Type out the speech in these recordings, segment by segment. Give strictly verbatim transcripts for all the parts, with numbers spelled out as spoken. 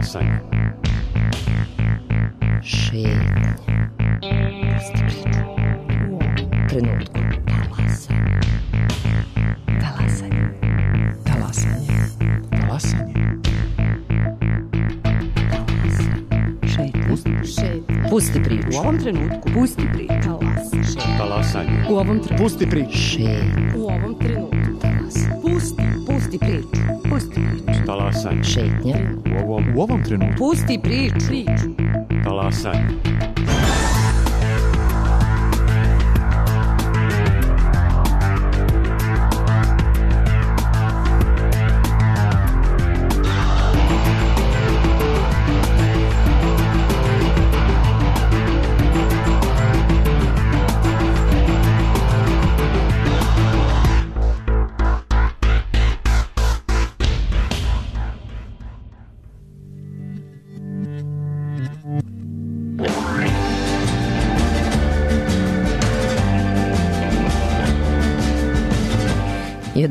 Talasanje. Šetnje. Pusti priču. U ovom trenutku. Talasanje. Talasanje. Talasanje. Talasanje. Šetnje. Šetnje. Pusti priču. U ovom trenutku. Pusti priču. Talasanje. Talasanje. U ovom trenutku. Pusti priču. Šetnje. U ovom trenutku. Talasanje. Pusti. Pusti priču. Pusti priču. Talasanje. Šetnje. U ovom, U ovom trenutku. Pusti priču. Priču. talasanje.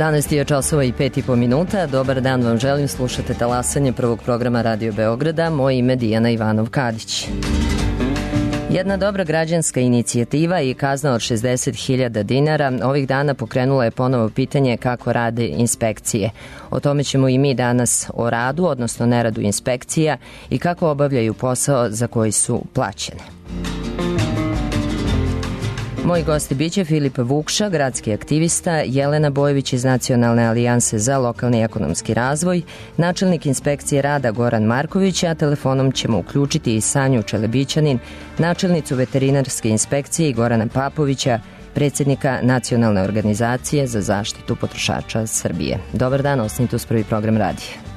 jedanaest je časova i pet i po minuta. Dobar dan vam želim, slušate talasanje prvog programa Radio Beograda. Moje ime Dijana Ivanov-Kadić. Jedna dobra građanska inicijativa i kazna od šezdeset hiljada dinara ovih dana pokrenula je ponovo pitanje kako rade inspekcije. O tome ćemo i mi danas o radu, odnosno neradu inspekcija i kako obavljaju posao za koji su plaćene. Moji gosti biće Filip Vukša, gradski aktivista, Jelena Bojević iz Nacionalne alijanse za lokalni ekonomski razvoj, načelnik inspekcije rada Goran Marković, a telefonom ćemo uključiti i Sanju Čelebićanin, načelnicu veterinarske inspekcije i Gorana Papovića, predsjednika Nacionalne organizacije za zaštitu potrošača Srbije. Dobar dan, ostanite uz prvi program radija.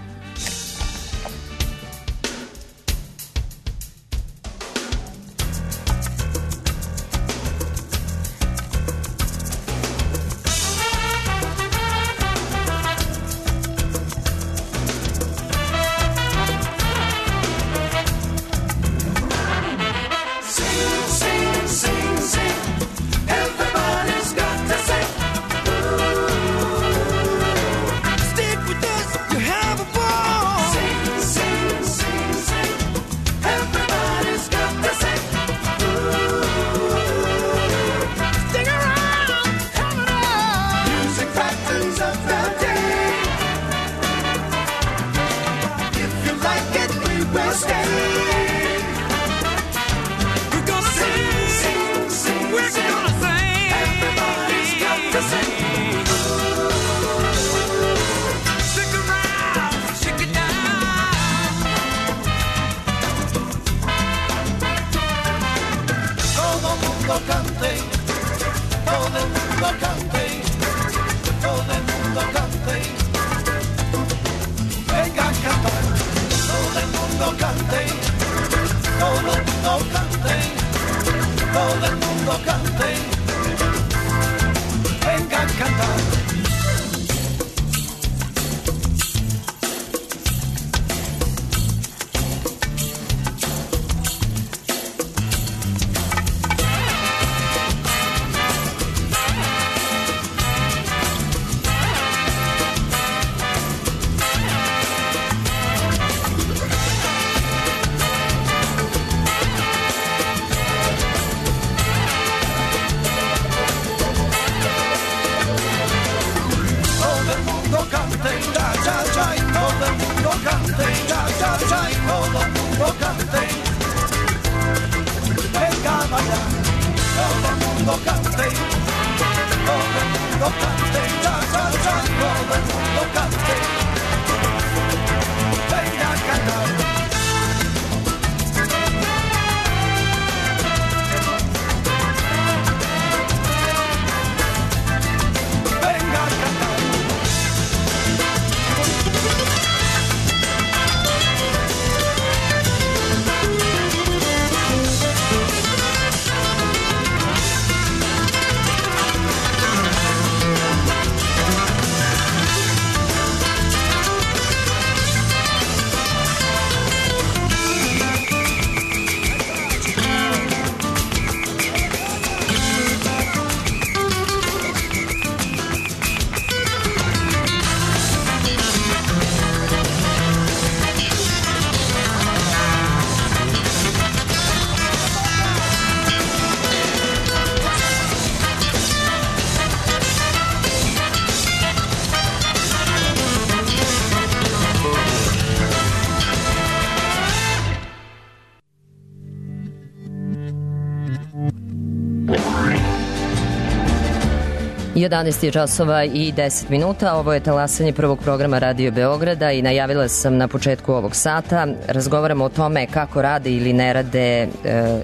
jedanaest je časova i deset minuta. Ovo je talasanje prvog programa Radio Beograda i najavila sam na početku ovog sata. Razgovaramo o tome kako rade ili ne rade e,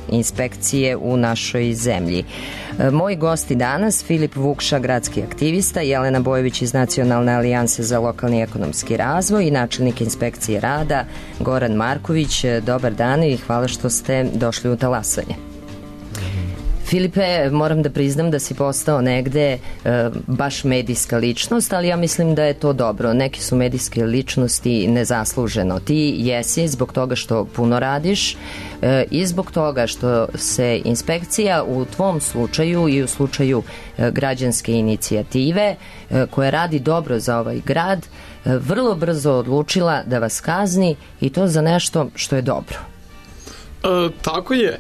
inspekcije u našoj zemlji. E, moji gosti danas, Filip Vukša, gradski aktivista, Jelena Bojović iz Nacionalne alijanse za lokalni ekonomski razvoj i načelnik inspekcije rada, Goran Marković. Dobar dan i hvala što ste došli u talasanje. Filipe, moram da priznam da si postao negde e, baš medijska ličnost, ali ja mislim da je to dobro. Neki su medijske ličnosti nezasluženo. Ti jesi zbog toga što puno radiš e, i zbog toga što se inspekcija u tvom slučaju i u slučaju e, građanske inicijative e, koja radi dobro za ovaj grad, e, vrlo brzo odlučila da vas kazni i to za nešto što je dobro. E, tako je.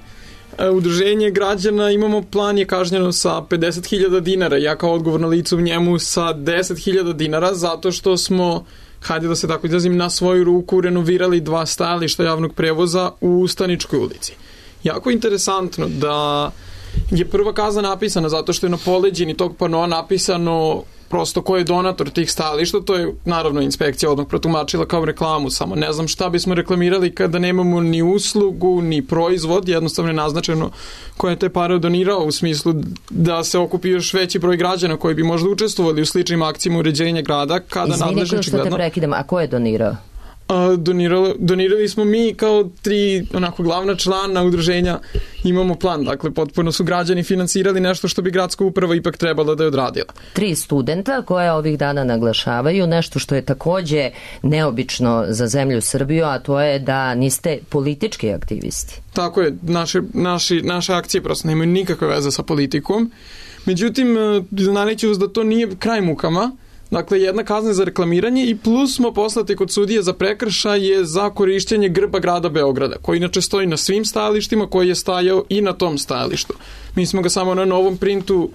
Udruženje građana imamo plan je kažnjeno sa pedeset hiljada dinara, ja kao odgovorno lice u njemu sa deset hiljada dinara zato što smo, hajde da se tako izrazim, na svoju ruku renovirali dva stajališta javnog prevoza u Staničkoj ulici. Jako interesantno da je prva kazna napisana zato što je na poleđini tog panoa napisano prosto ko je donator tih stajališta, to je naravno inspekcija odmah protumačila kao reklamu, samo ne znam šta bismo reklamirali kada nemamo ni uslugu, ni proizvod, jednostavno je naznačeno ko je te pare donirao u smislu da se okupi još veći broj građana koji bi možda učestvovali u sličnim akcijama uređenja grada. Kada Izvini što te prekidam, a ko je donirao? Donirali, donirali smo mi kao tri onako glavna člana udruženja, imamo plan, dakle potpuno su građani finansirali nešto što bi gradska uprava ipak trebala da je odradila. Tri studenta koje ovih dana naglašavaju nešto što je takođe neobično za zemlju Srbiju, a to je da niste politički aktivisti. Tako je, naše, naši, naše akcije prosto nemaju nikakve veze sa politikom, međutim znaneću vas da to nije kraj mukama. Dakle, jedna kazna za reklamiranje i plus smo poslati kod sudije za prekršaje za korišćenje grba grada Beograda, koji inače stoji na svim stajalištima, koji je stajao i na tom stajalištu. Mi smo ga samo na novom printu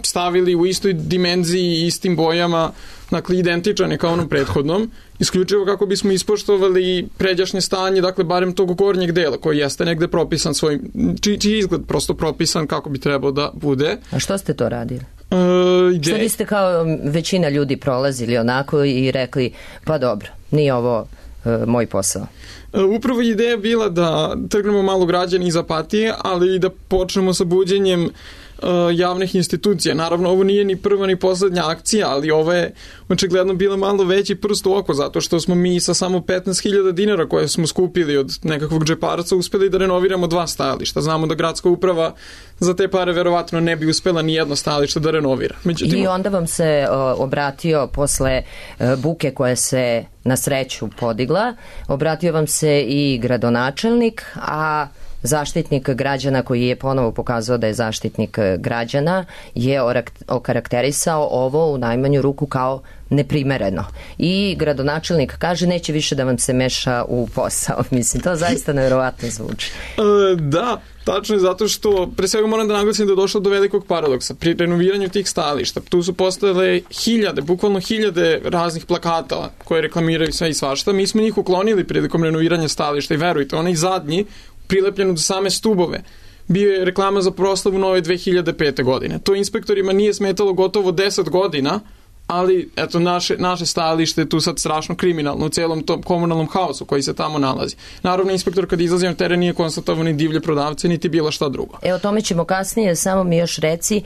stavili u istoj dimenziji, istim bojama, dakle identičan je kao onom prethodnom, isključivo kako bismo ispoštovali pređašnje stanje, dakle barem tog gornjeg dela koji jeste negde propisan svojim, čiji, čiji izgled prosto propisan kako bi trebao da bude. A što ste to radili? Uh, Što biste kao većina ljudi prolazili onako i rekli, pa dobro, nije ovo uh, moj posao? Uh, upravo ideja bila da trgnemo malo građani iz apatije, ali i da počnemo sa buđenjem uh, javnih institucija. Naravno, ovo nije ni prva ni poslednja akcija, ali ovo je očigledno bila malo veći prst u oko, zato što smo mi sa samo petnaest hiljada dinara koje smo skupili od nekakvog džeparaca uspeli da renoviramo dva stajališta. Znamo da gradska uprava za te pare verovatno ne bi uspela ni jedno stajalište da renovira. Međutim, I onda vam se o, obratio posle e, buke koja se na sreću podigla, obratio vam se i gradonačelnik, a zaštitnik građana koji je ponovo pokazao da je zaštitnik građana je okarakterisao ovo u najmanju ruku kao neprimereno. I gradonačelnik kaže neće više da vam se meša u posao. Mislim, to zaista nevjerovatno zvuči. E, da, tačno je zato što pre svega moram da naglasim da je došlo do velikog paradoksa. Pri renoviranju tih stajališta tu su postojale hiljade, bukvalno hiljade raznih plakata koje reklamiraju sve i svašta. Mi smo njih uklonili prilikom renoviranja stajališta i verujte, onaj zadnji prilepljen uz same stubove bio je reklama za proslavu nove dve hiljade pete godine. To inspektorima nije smetalo gotovo deset godina, ali eto naše, naše stajalište je tu sad strašno kriminalno u celom tom komunalnom haosu koji se tamo nalazi. Naravno, inspektor kad izlazi na teren nije konstatovao ni divlje prodavce, niti bilo šta drugo. E, o tome ćemo kasnije, samo mi još reci, e,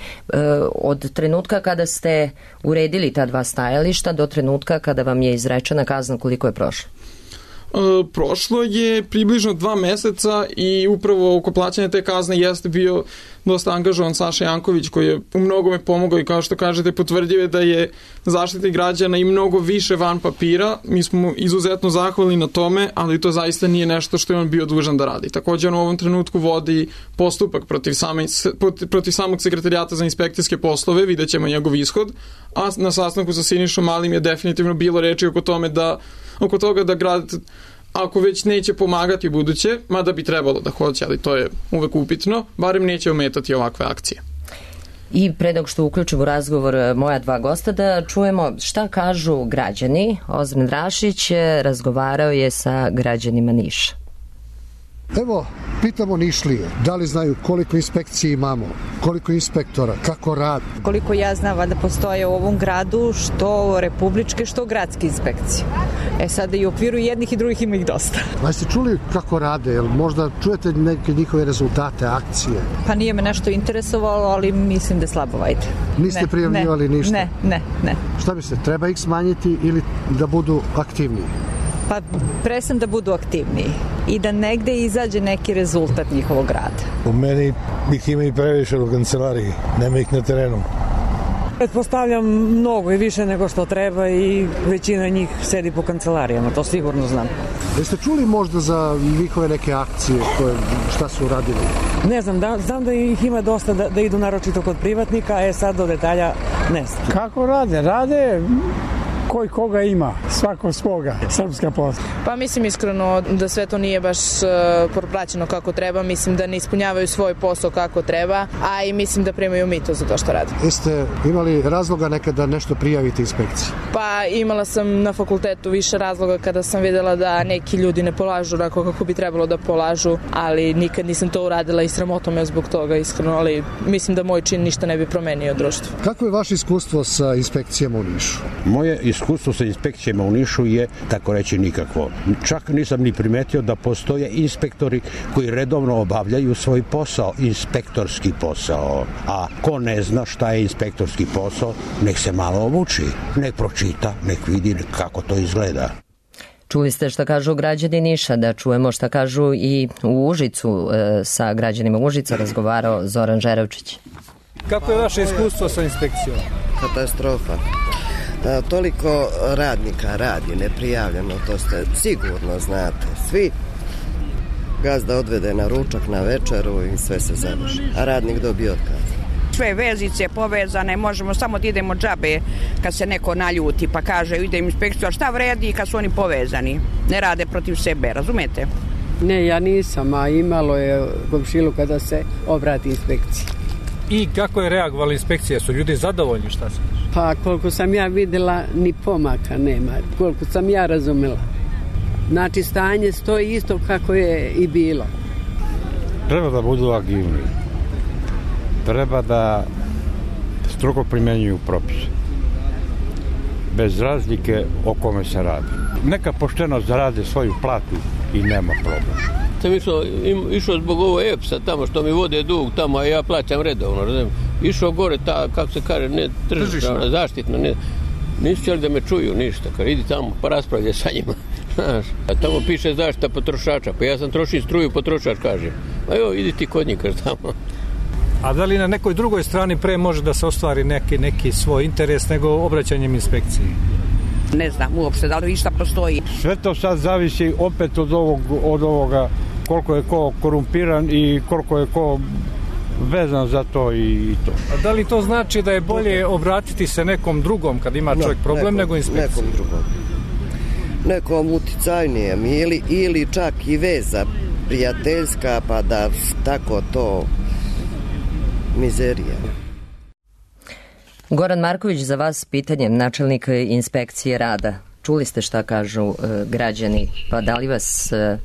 od trenutka kada ste uredili ta dva stajališta do trenutka kada vam je izrečena kazna, koliko je prošlo? Uh, prošlo je približno dva meseca i upravo oko plaćanja te kazne jeste bio dosta angažovan Saša Janković koji je u mnogome pomogao i kao što kažete potvrdio je da je zaštitnik građana i mnogo više van papira. Mi smo izuzetno zahvalni na tome, ali to zaista nije nešto što je on bio dužan da radi. Također on u ovom trenutku vodi postupak protiv, same, protiv samog sekretarijata za inspekcijske poslove, vidjet ćemo njegov ishod, a na sastanku sa Sinišom Malim je definitivno bilo reči oko tome da oko toga da grad ako već neće pomagati u buduće, mada bi trebalo da hoće, ali to je uvek upitno, barem neće ometati ovakve akcije. I pre nego što uključim u razgovor moja dva gosta da čujemo šta kažu građani. Ozren Rašić razgovarao je sa građanima Niša. Evo, pitamo Nišlije, da li znaju koliko inspekcije imamo, koliko inspektora, kako radi? Koliko ja znam, da postoje u ovom gradu što republičke, što gradske inspekcije. E sada i u okviru jednih i drugih ima ih dosta. A ste čuli kako rade? Jel možda čujete neke njihove rezultate, akcije? Pa nije me nešto interesovalo, ali mislim da slabo vajde. Niste ne, prijavljivali ne, ništa? Ne, ne, ne. Šta mislite, treba ih smanjiti ili da budu aktivniji? Pa presam da budu aktivniji i da negde izađe neki rezultat njihovog rada. U meni ih ima i previše u kancelariji, nema ih na terenu. Pretpostavljam mnogo i više nego što treba i većina njih sedi po kancelarijama, to sigurno znam. Jeste čuli možda za njihove neke akcije, koje, šta su radili? Ne znam, da, znam da ih ima dosta da, da idu naročito kod privatnika, e sad do detalja ne znam. Kako rade? Rade koji koga ima, svako svoga, srpska posla. Pa mislim iskreno da sve to nije baš uh, proplaćeno kako treba, mislim da ne ispunjavaju svoj posao kako treba, a i mislim da primaju mito za to što rade. Jeste imali razloga nekada nešto prijaviti inspekciji? Pa imala sam na fakultetu više razloga kada sam videla da neki ljudi ne polažu onako kako bi trebalo da polažu, ali nikad nisam to uradila i sramota me zbog toga iskreno, ali mislim da moj čin ništa ne bi promenio društvo. Kako je vaše iskustvo sa inspekcijama u Nišu? Moje iskustvo sa inspekcijama u Nišu je, tako reći, nikakvo. Čak nisam ni primetio da postoje inspektori koji redovno obavljaju svoj posao, inspektorski posao. A ko ne zna šta je inspektorski posao, nek se malo obuči, nek pročita, nek vidi kako to izgleda. Čuli ste šta kažu građani Niša, da čujemo šta kažu i u Užicu. E, sa građanima Užica razgovarao Zoran Žerevčić. Kako je vaše iskustvo sa inspekcijom? Katastrofa. A, toliko radnika radi neprijavljeno, to ste sigurno znate. Svi gazda odvede na ručak, na večeru i sve se završi. A radnik dobije otkaz. Sve vezice povezane, možemo samo da idemo džabe kad se neko naljuti pa kaže idem inspekciju, a šta vredi kad su oni povezani? Ne rade protiv sebe, razumete? Ne, ja nisam, a imalo je komšilu kada se obrati inspekciji. I kako je reagovala inspekcija? Su ljudi zadovoljni, šta se kaže? Pa koliko sam ja videla, ni pomaka nema, koliko sam ja razumela. Znači stanje stoji isto kako je i bilo. Treba da budu agilni. Treba da strogo primenjuju propise. Bez razlike o kome se radi. Neka pošteno zarade svoju platu i nema problema. Sam išao, išao zbog ovo E P S-a tamo što mi vode dug tamo, a ja plaćam redovno. Razumijem. Išao gore ta, kako se kaže, ne tržišna, zaštitna, ne, nisu htjeli da me čuju ništa. Kad idi tamo pa raspravljaj sa njima. Znaš, a tamo piše zaštita potrošača, pa ja sam trošim struju, potrošač kaže. A jo, idi ti kod njih, kaže tamo. A da li na nekoj drugoj strani pre može da se ostvari neki, neki svoj interes nego obraćanjem inspekciji? Ne znam uopšte da li išta postoji. Sve to sad zavisi opet od, ovog, od ovoga koliko je ko korumpiran i koliko je ko vezan za to i to. A da li to znači da je bolje obratiti se nekom drugom kad ima čovjek problem nekom, nego inspekciji? Nekom drugom. Nekom uticajnijem ili, ili čak i veza prijateljska pa da tako to mizerija. Goran Marković, za vas pitanje, načelnik inspekcije rada. Čuli ste šta kažu uh, građani, pa da li vas, uh,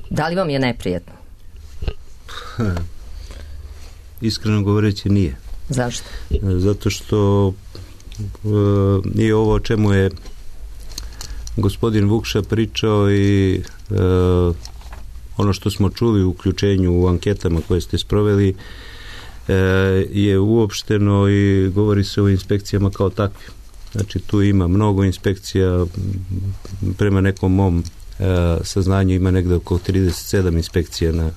da li vam je neprijetno? Iskreno govoreći nije. Zašto? Zato što uh, nije ovo o čemu je gospodin Vukša pričao i uh, ono što smo čuli u uključenju u anketama koje ste sproveli je uopšteno i govori se o inspekcijama kao takvim. Znači tu ima mnogo inspekcija, prema nekom mom saznanju ima negde oko trideset sedam inspekcija na.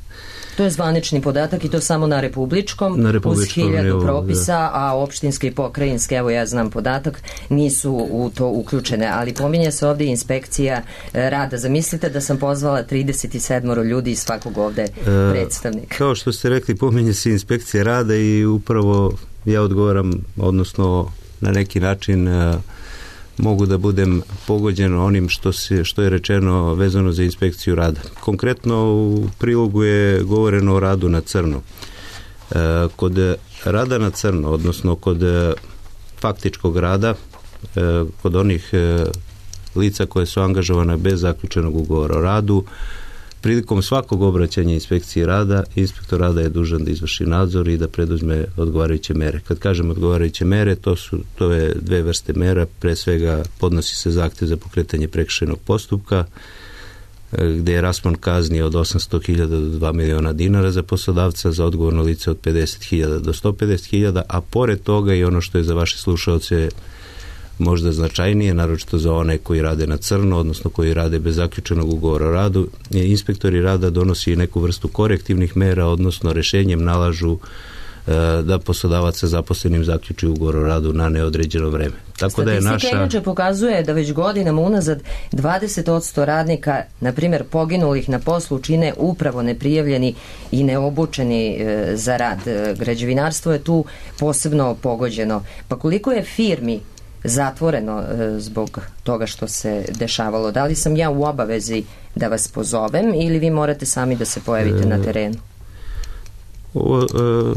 To je zvanični podatak i to samo na republičkom, na republičkom uz hiljadu evo, propisa, da. A opštinske i pokrajinske, evo ja znam podatak, nisu u to uključene, ali pominje se ovdje inspekcija rada. Zamislite da sam pozvala trideset sedam ljudi iz svakog ovde predstavnika. Kao što ste rekli, pominje se inspekcija rada i upravo ja odgovaram, odnosno na neki način mogu da budem pogođen onim što, se, što je rečeno vezano za inspekciju rada. Konkretno u prilogu je govoreno o radu na crno. E, kod rada na crno, odnosno kod faktičkog rada, e, kod onih e, lica koje su angažovane bez zaključenog ugovora o radu, prilikom svakog obraćanja inspekcije rada, inspektor rada je dužan da izvrši nadzor i da preduzme odgovarajuće mere. Kad kažem odgovarajuće mere, to su to je dve vrste mera. Pre svega podnosi se zahtev za pokretanje prekršajnog postupka, gde je raspon kazni od osamsto hiljada do dva miliona dinara za poslodavca, za odgovorno lice od pedeset hiljada do sto pedeset hiljada, a pored toga i ono što je za vaše slušaoce možda značajnije, naročito za one koji rade na crno, odnosno koji rade bez zaključenog ugovora o radu, inspektori rada donosi neku vrstu korektivnih mera, odnosno rešenjem nalažu da poslodavac sa zaposlenim zaključi ugovor o radu na neodređeno vreme. Tako da je naša... Statistika inače pokazuje da već godinama unazad dvadeset posto radnika, na primjer poginulih na poslu, čine upravo neprijavljeni i neobučeni za rad. Građevinarstvo je tu posebno pogođeno. Pa koliko je firmi zatvoreno zbog toga što se dešavalo? Da li sam ja u obavezi da vas pozovem ili vi morate sami da se pojavite e... na terenu? Ovo,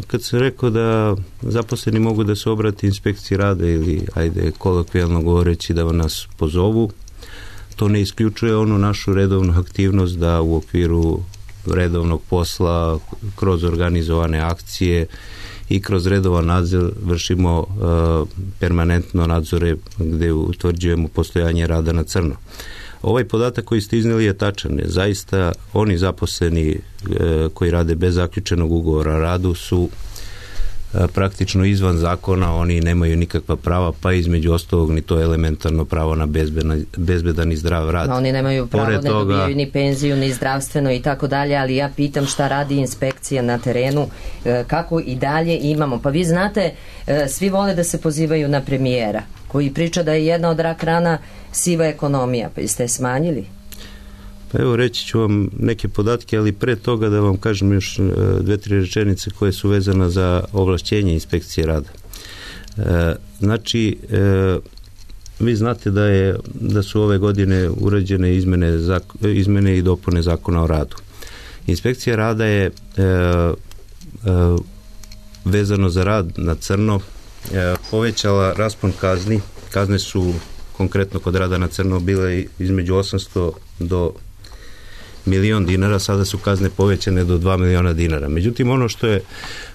kad sam rekao da zaposleni mogu da se obrati inspekciji rada ili, ajde, kolokvijalno govoreći, da nas pozovu, to ne isključuje onu našu redovnu aktivnost da u okviru redovnog posla, kroz organizovane akcije i kroz redovan nadzor vršimo uh, permanentno nadzore gde utvrđujemo postojanje rada na crno. Ovaj podatak koji ste izneli je tačan. Zaista oni zaposleni e, koji rade bez zaključenog ugovora o radu su e, praktično izvan zakona, oni nemaju nikakva prava, pa između ostalog ni to elementarno pravo na bezbedan, bezbedan i zdrav rad. No, oni nemaju pravo, Pored ne toga, dobijaju ni penziju, ni zdravstveno i tako dalje, ali ja pitam šta radi inspekcija na terenu, e, kako i dalje imamo. Pa vi znate, e, svi vole da se pozivaju na premijera, koji priča da je jedna od rak rana siva ekonomija, pa jeste je smanjili? Pa evo, reći ću vam neke podatke, ali pre toga da vam kažem još dve, tri rečenice koje su vezane za ovlašćenje inspekcije rada. E, znači, e, vi znate da je da su ove godine urađene izmene, izmene i dopune zakona o radu. Inspekcija rada je e, e, vezano za rad na crno e, povećala raspon kazni. Kazne su konkretno kod rada na crno bile između osamsto do milion dinara, sada su kazne povećane do dva miliona dinara. Međutim, ono što je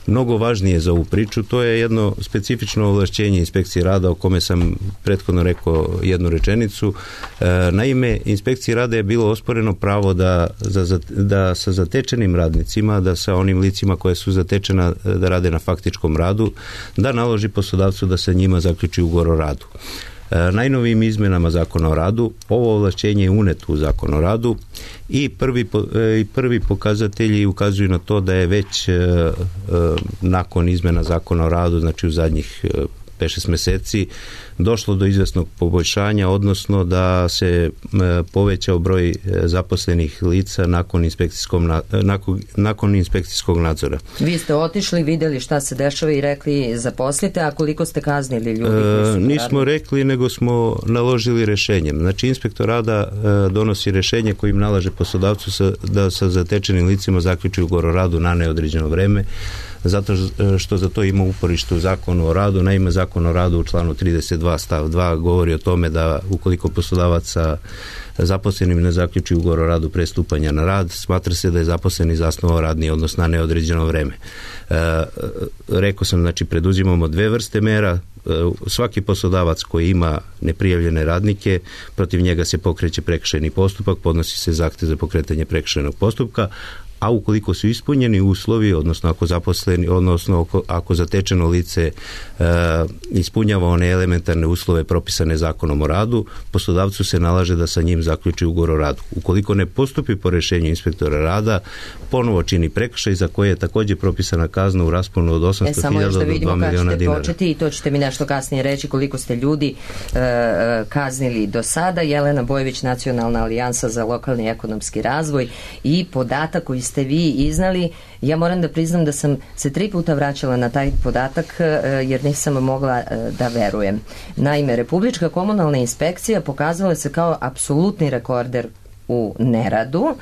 mnogo važnije za ovu priču, to je jedno specifično ovlašćenje inspekcije rada o kome sam prethodno rekao jednu rečenicu. E, naime, inspekciji rada je bilo osporeno pravo da, za, da sa zatečenim radnicima, da sa onim licima koje su zatečena da rade na faktičkom radu, da naloži poslodavcu da sa njima zaključi ugovor o radu. Najnovijim izmenama zakona o radu ovo ovlašćenje je uneto u zakon o radu i prvi, i prvi pokazatelji ukazuju na to da je već nakon izmena zakona o radu, znači u zadnjih pet šest meseci, došlo do izvesnog poboljšanja, odnosno da se povećao broj zaposlenih lica nakon inspekcijskog, nakon, nakon inspekcijskog nadzora. Vi ste otišli, videli šta se dešava i rekli zaposlite, a koliko ste kaznili ljudi? E, nismo rekli, nego smo naložili rešenjem. Znači, inspektor rada e, donosi rešenje kojim nalaže poslodavcu sa, da sa zatečenim licima zaključi ugovor o radu na neodređeno vreme, zato što za to ima uporište u zakonu o radu. Naime, zakon o radu u članu trideset dva stav dva govori o tome da ukoliko poslodavac sa zaposlenim ne zaključi ugovor o radu pre stupanja na rad, smatra se da je zaposleni zasnovao radni odnos na neodređeno vreme. E, rekao sam, znači, preduzimamo dve vrste mera. E, svaki poslodavac koji ima neprijavljene radnike, protiv njega se pokreće prekršajni postupak, podnosi se zahtev za pokretanje prekršajnog postupka, a ukoliko su ispunjeni uslovi, odnosno ako zaposleni, odnosno ako, ako zatečeno lice e, ispunjava one elementarne uslove propisane zakonom o radu, poslodavcu se nalaže da sa njim zaključi ugovor o radu. Ukoliko ne postupi po rešenju inspektora rada, ponovo čini prekršaj za koje je takođe propisana kazna u rasponu od osamsto hiljada do dva miliona dinara. Početi, i to ćete mi nešto kasnije reći koliko ste ljudi e, kaznili do sada. Jelena Bojević, Nacionalna alijansa za lokalni ekonomski razvoj, i podatak koji ste vi iznali, ja moram da priznam da sam se tri puta vraćala na taj podatak jer nisam mogla da verujem. Naime, Republička komunalna inspekcija pokazala se kao apsolutni rekorder u neradu.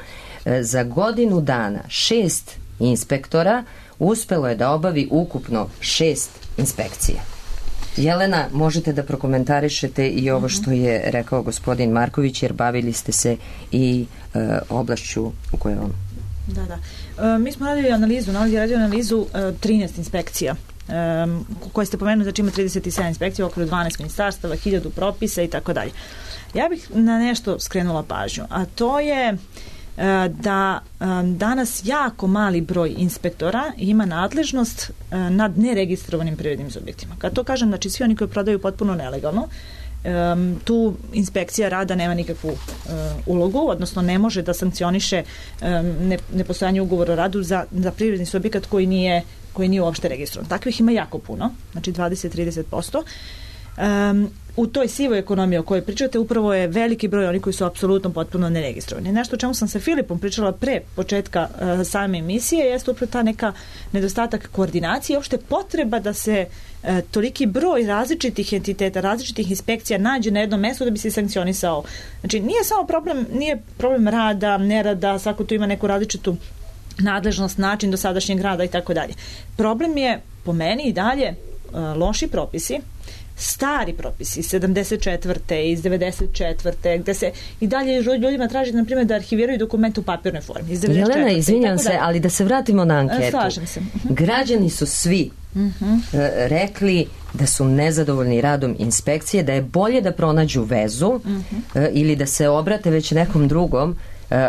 Za godinu dana šest inspektora uspelo je da obavi ukupno šest inspekcija. Jelena, možete da prokomentarišete i ovo što je rekao gospodin Marković, jer bavili ste se i e, oblašću u kojoj on... Da, da. E, mi smo radili analizu, nalazi radio analizu e, trinaest inspekcija um, koje ste pomenuli, znači ima trideset sedam inspekcija, okolo dvanaest ministarstava, hiljadu propisa i tako dalje. Ja bih na nešto skrenula pažnju, a to je uh, da um, danas jako mali broj inspektora ima nadležnost uh, nad neregistrovanim privrednim subjektima. Kad to kažem, znači svi oni koji prodaju potpuno nelegalno, Um, tu inspekcija rada nema nikakvu uh, ulogu, odnosno ne može da sankcioniše um, ne, nepostojanje ugovora o radu za, za privredni subjekat koji nije, koji nije uopšte registrovan. Takvih ima jako puno, znači dvadeset do trideset posto. Um, u toj sivoj ekonomiji o kojoj pričate upravo je veliki broj oni koji su apsolutno potpuno neregistrovani. Nešto o čemu sam sa Filipom pričala pre početka uh, same emisije jeste upravo ta neka nedostatak koordinacije i uopšte potreba da se uh, toliki broj različitih entiteta, različitih inspekcija nađe na jednom mestu da bi se sankcionisao. Znači nije samo problem, nije problem rada, nerada, svako tu ima neku različitu nadležnost, način dosadašnjeg rada i tako dalje. Problem je po meni i dalje uh, loši propisi, stari propisi, sedamdeset četvrte iz devedeset četvrte gde se i dalje ljudima traži, na primjer, da arhiviraju dokumente u papirnoj formi. Jelena, izvinjam se, ali da se vratimo na anketu. Slažem se. Uh-huh. Građani su svi uh-huh. rekli da su nezadovoljni radom inspekcije, da je bolje da pronađu vezu uh-huh. ili da se obrate već nekom drugom,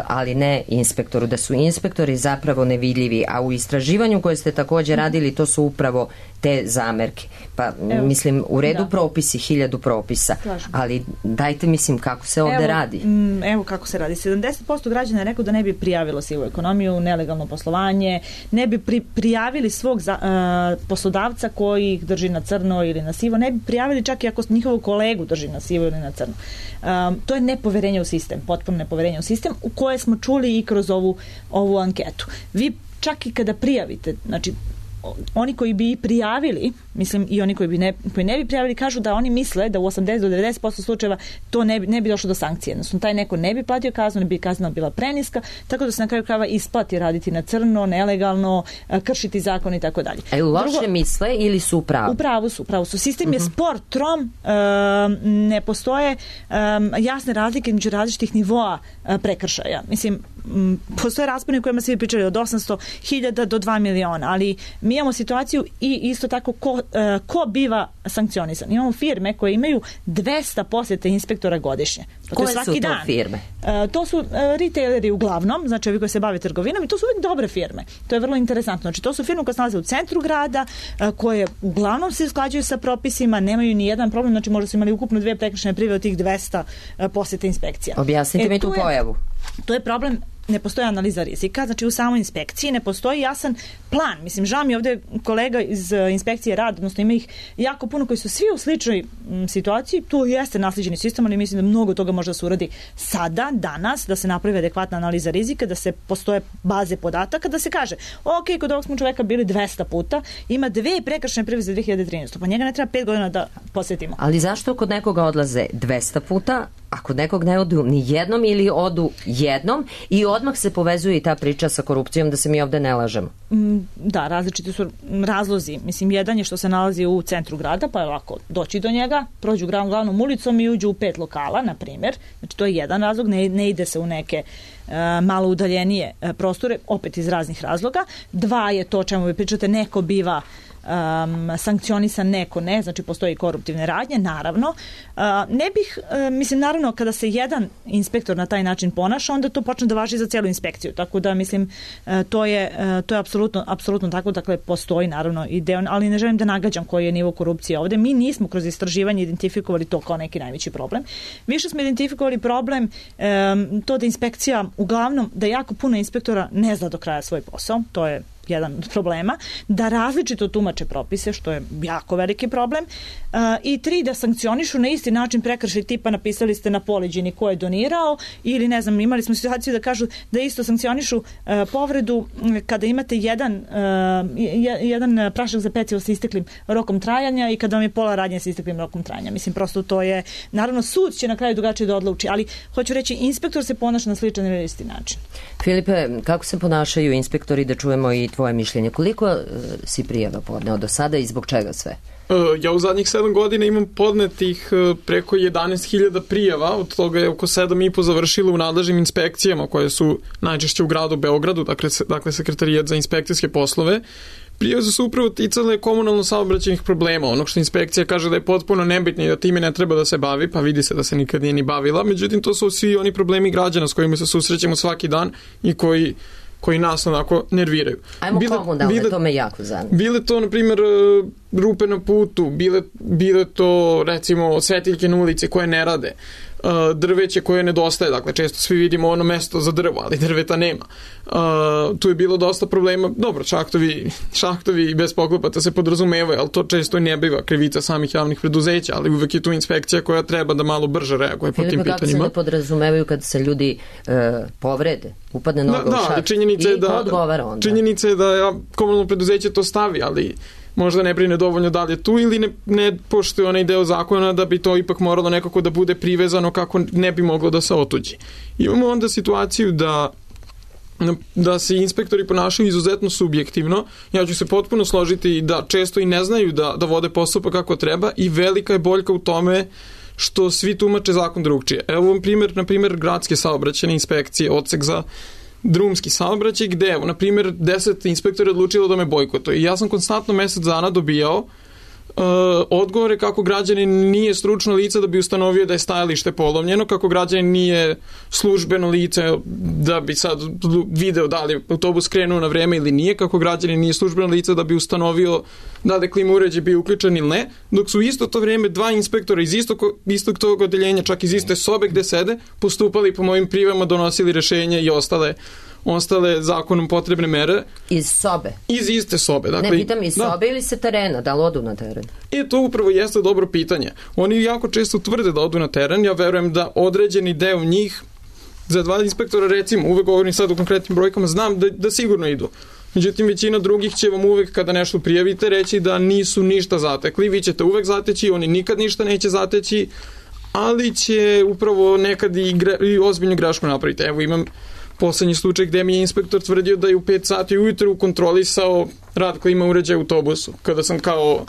ali ne inspektoru, da su inspektori zapravo nevidljivi, a u istraživanju koje ste također radili to su upravo te zamerke. Pa evo, mislim, u redu da. propisi, hiljadu propisa, Slažem. ali dajte mislim kako se ovde evo, radi. M, evo kako se radi. sedamdeset posto građana je rekao da ne bi prijavilo sivu ekonomiju, nelegalno poslovanje, ne bi pri, prijavili svog za, uh, poslodavca koji ih drži na crno ili na sivo, ne bi prijavili čak i ako njihovog kolegu drži na sivo ili na crno. Um, to je nepoverenje u sistem, potpuno nepoverenje u sistem, u koje smo čuli i kroz ovu, ovu anketu. Vi čak i kada prijavite, znači oni koji bi prijavili, mislim i oni koji, bi ne, koji ne bi prijavili, kažu da oni misle da u osamdeset do devedeset posto slučajeva to ne bi, ne bi došlo do sankcije. Odnosno, taj neko ne bi platio kaznu, ne bi kazna bila preniska, tako da se na kraju krajeva isplati raditi na crno, nelegalno, kršiti zakon i tako dalje. A loše Drugo, misle ili su u pravu? U pravu su, u pravu su. Sistem uh-huh. je spor, trom, uh, ne postoje um, jasne razlike između različitih nivoa uh, prekršaja. Mislim, um, postoje raspone u kojima se vi pričali od osamsto hiljada do dva miliona, ali mi imamo situaciju i isto tako ko, uh, ko biva sankcionisan. Imamo firme koje imaju dvesta posjete inspektora godišnje. To koje svaki su to dan. firme? Uh, to su uh, retaileri uglavnom, znači ovi koji se bave trgovinom i to su uvijek dobre firme. To je vrlo interesantno. Znači to su firme koje se nalaze u centru grada, uh, koje uglavnom se usklađuju sa propisima, nemaju ni jedan problem, znači možda su imali ukupno dve prekršajne prijave od tih dvesta uh, posjete inspekcija. Objasnite e, mi tu je, pojavu. To je problem. Ne postoji analiza rizika, znači u samoj inspekciji ne postoji jasan plan. Mislim, žao mi ovdje kolega iz inspekcije rada, odnosno ima ih jako puno koji su svi u sličnoj m, situaciji. Tu jeste naslijeđeni sistem, ali mislim da mnogo toga može da se uradi sada, danas, da se napravi adekvatna analiza rizika, da se postoje baze podataka, da se kaže, ok, kod ovog smo čoveka bili dvesta puta, ima dve prekršajne prijave za dve hiljade trinaeste. Pa njega ne treba pet godina da posjetimo. Ali zašto kod nekoga odlaze dvesta puta, a kod nekog ne odu ni jednom ili odu jednom i odmah se povezuje i ta priča sa korupcijom, da se mi ovde ne lažemo? Da, različiti su razlozi. Mislim, jedan je što se nalazi u centru grada, pa je lako doći do njega, prođu glavnom ulicom i uđu u pet lokala, na primjer. Znači, to je jedan razlog, ne, ne ide se u neke uh, malo udaljenije uh, prostore, opet iz raznih razloga. Dva je to o čemu vi pričate, neko biva Um, sankcionisan, neko ne, znači postoji koruptivne radnje, naravno. Uh, ne bih, uh, mislim, naravno, kada se jedan inspektor na taj način ponaša, onda to počne da važi za cijelu inspekciju, tako da, mislim, uh, to je, uh, to je apsolutno, apsolutno tako, dakle, postoji, naravno, ideo, ali ne želim da nagađam koji je nivo korupcije ovde. Mi nismo kroz istraživanje identifikovali to kao neki najveći problem. Više smo identifikovali problem um, to da inspekcija, uglavnom, da jako puno inspektora ne zna do kraja svoj posao, to je jedan od problema, da različito tumače propise, što je jako veliki problem, uh, i tri, da sankcionišu na isti način prekršaj tipa napisali ste na poleđini ko je donirao, ili ne znam, imali smo situaciju da kažu da isto sankcionišu uh, povredu kada imate jedan, uh, jedan prašak za pecivo sa isteklim rokom trajanja i kada vam je pola radnje sa isteklim rokom trajanja. Mislim, prosto to je, naravno, sud će na kraju drugačije da odluči, ali hoću reći, inspektor se ponaša na sličan ili isti način. Filipe, kako se ponašaju inspektori, da čujemo i tvoje mišljenje. Koliko uh, si prijava podneo do sada i zbog čega sve? Ja u zadnjih sedam godina imam podnetih preko jedanaest hiljada prijava, od toga je oko sedam i po završilo u nadležnim inspekcijama koje su najčešće u gradu Beogradu, dakle, dakle Sekretarijat za inspekcijske poslove. Prijave su upravo ticale komunalno saobraćajnih problema, onog što inspekcija kaže da je potpuno nebitno i da time ne treba da se bavi, pa vidi se da se nikad nije ni bavila, međutim to su svi oni problemi građana s kojima se susrećemo svaki dan i koji koji nas onako nerviraju. Ajmo bile, komunalne, bile, to me jako zanima. Bile to, na primjer, rupe na putu, bile, bile to, recimo, svetiljke na ulici koje ne rade, drveće koje nedostaje, dakle, često svi vidimo ono mesto za drvo, ali drveta nema. Tu je bilo dosta problema, dobro, šahtovi, šahtovi bez poklopata se podrazumevaju, ali to često i ne biva krivica samih javnih preduzeća, ali uvek je tu inspekcija koja treba da malo brže reaguje po tim pitanjima. Kako se ne podrazumevaju kad se ljudi e, povrede, upadne noga da, u šah i da, odgovara onda? Činjenica je da ja, komunalno preduzeće to stavi, ali možda ne brine dovoljno da li je tu ili ne, ne poštuje onaj deo zakona da bi to ipak moralo nekako da bude privezano kako ne bi moglo da se otuđi. Imamo onda situaciju da da se inspektori ponašaju izuzetno subjektivno. Ja ću se potpuno složiti da često i ne znaju da, da vode postupak kako treba i velika je boljka u tome što svi tumače zakon drugčije. Evo vam primjer, na primjer, gradske saobraćajne inspekcije, odsek za drumski saobraćaj, gde, evo, na primjer, deset inspektora je odlučilo da me bojkotuje. I ja sam konstantno mesec dana dobijao uh, odgovore kako građanin nije stručno lice da bi ustanovio da je stajalište polovljeno, kako građanin nije službeno lice da bi sad video da li autobus krenuo na vreme ili nije, kako građanin nije službeno lice da bi ustanovio da li klima uređaj bio uključen ili ne, dok su isto to vreme dva inspektora iz istog, istog tog odeljenja, čak iz iste sobe gde sede, postupali po mojim prijavama, donosili rešenje i ostale ostale zakonom potrebne mere. Iz sobe? Iz iste sobe. Dakle, ne, pitam iz da. sobe ili se terena, da li odu na teren? E, to upravo jeste dobro pitanje. Oni jako često tvrde da odu na teren, ja verujem da određeni deo njih, za dva inspektora recimo, uvek govorim sad u konkretnim brojkama, znam da, da sigurno idu. Međutim, većina drugih će vam uvek kada nešto prijavite reći da nisu ništa zatekli, vi ćete uvek zateći, oni nikad ništa neće zateći, ali će upravo nekad i, gre, i ozbiljnu grešku napraviti. Evo imam poslednji slučaj gde mi je inspektor tvrdio da je u pet sati ujutru kontrolisao rad klima uređaja u autobusu. Kada sam kao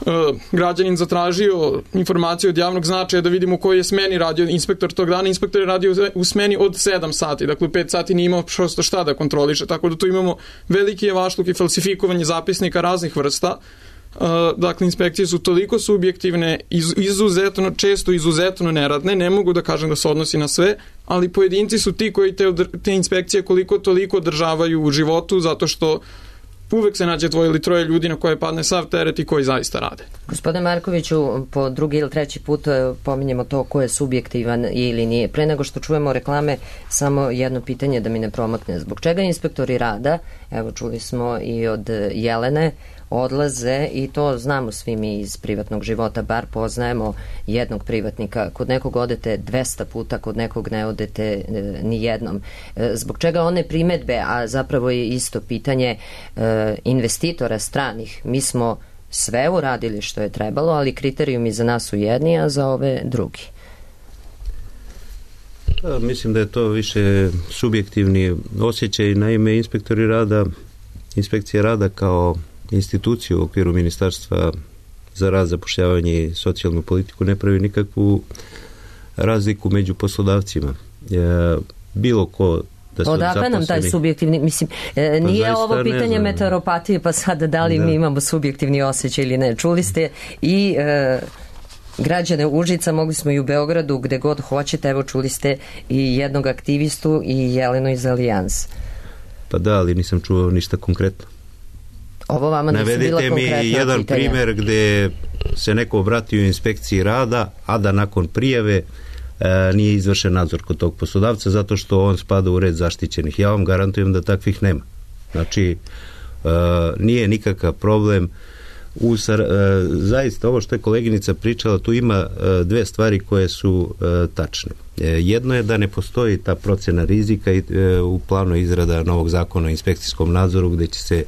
uh, građanin zatražio informaciju od javnog značaja da vidim u kojoj je smeni radio inspektor tog dana, inspektor je radio u smeni od sedam sati, dakle u pet sati nije imao prosto šta da kontroliše, tako da tu imamo veliki javašluk i falsifikovanje zapisnika raznih vrsta. Uh, dakle, inspekcije su toliko subjektivne, iz, izuzetno, često izuzetno neradne, ne mogu da kažem da se odnosi na sve, ali pojedinci su ti koji te, te inspekcije koliko toliko održavaju u životu, zato što uvek se nađe dvoje ili troje ljudi na koje padne sav teret i koji zaista rade. Gospodine Markoviću, po drugi ili treći put pominjemo to ko je subjektivan ili nije. Pre nego što čujemo reklame, samo jedno pitanje da mi ne promakne. Zbog čega inspektori rada, evo čuli smo i od Jelene, odlaze, i to znamo svi mi iz privatnog života, bar poznajemo jednog privatnika, kod nekog odete dvesta puta, kod nekog ne odete e, ni jednom. E, zbog čega one primetbe, a zapravo je isto pitanje e, investitora stranih, mi smo sve uradili što je trebalo, ali kriterijumi za nas su jedni, a za ove drugi. Da, mislim da je to više subjektivni osjećaj. Naime, inspektori rada, inspekcija rada kao instituciju u okviru Ministarstva za rad, zapošljavanje i socijalnu politiku ne pravi nikakvu razliku među poslodavcima. E, bilo ko da su odakle nam taj subjektivni, mislim, e, nije pa ovo pitanje meteoropatije, pa sada da li da. mi imamo subjektivni osjećaj ili ne. Čuli ste i e, građane Užica, mogli smo i u Beogradu, gde god hoćete, evo čuli ste i jednog aktivistu i Jelenu iz Alijanse. Pa da, ali nisam čuo ništa konkretno. Ovo vama nisu bila konkretna pitanja. Navedite mi jedan primjer gde se neko obratio inspekciji rada, a da nakon prijave e, nije izvršen nadzor kod tog poslodavca zato što on spada u red zaštićenih. Ja vam garantujem da takvih nema. Znači, e, nije nikakav problem. U, e, zaista, ovo što je koleginica pričala, tu ima e, dve stvari koje su e, tačne. E, jedno je da ne postoji ta procena rizika i, e, u planu izrada novog zakona o inspekcijskom nadzoru gde će se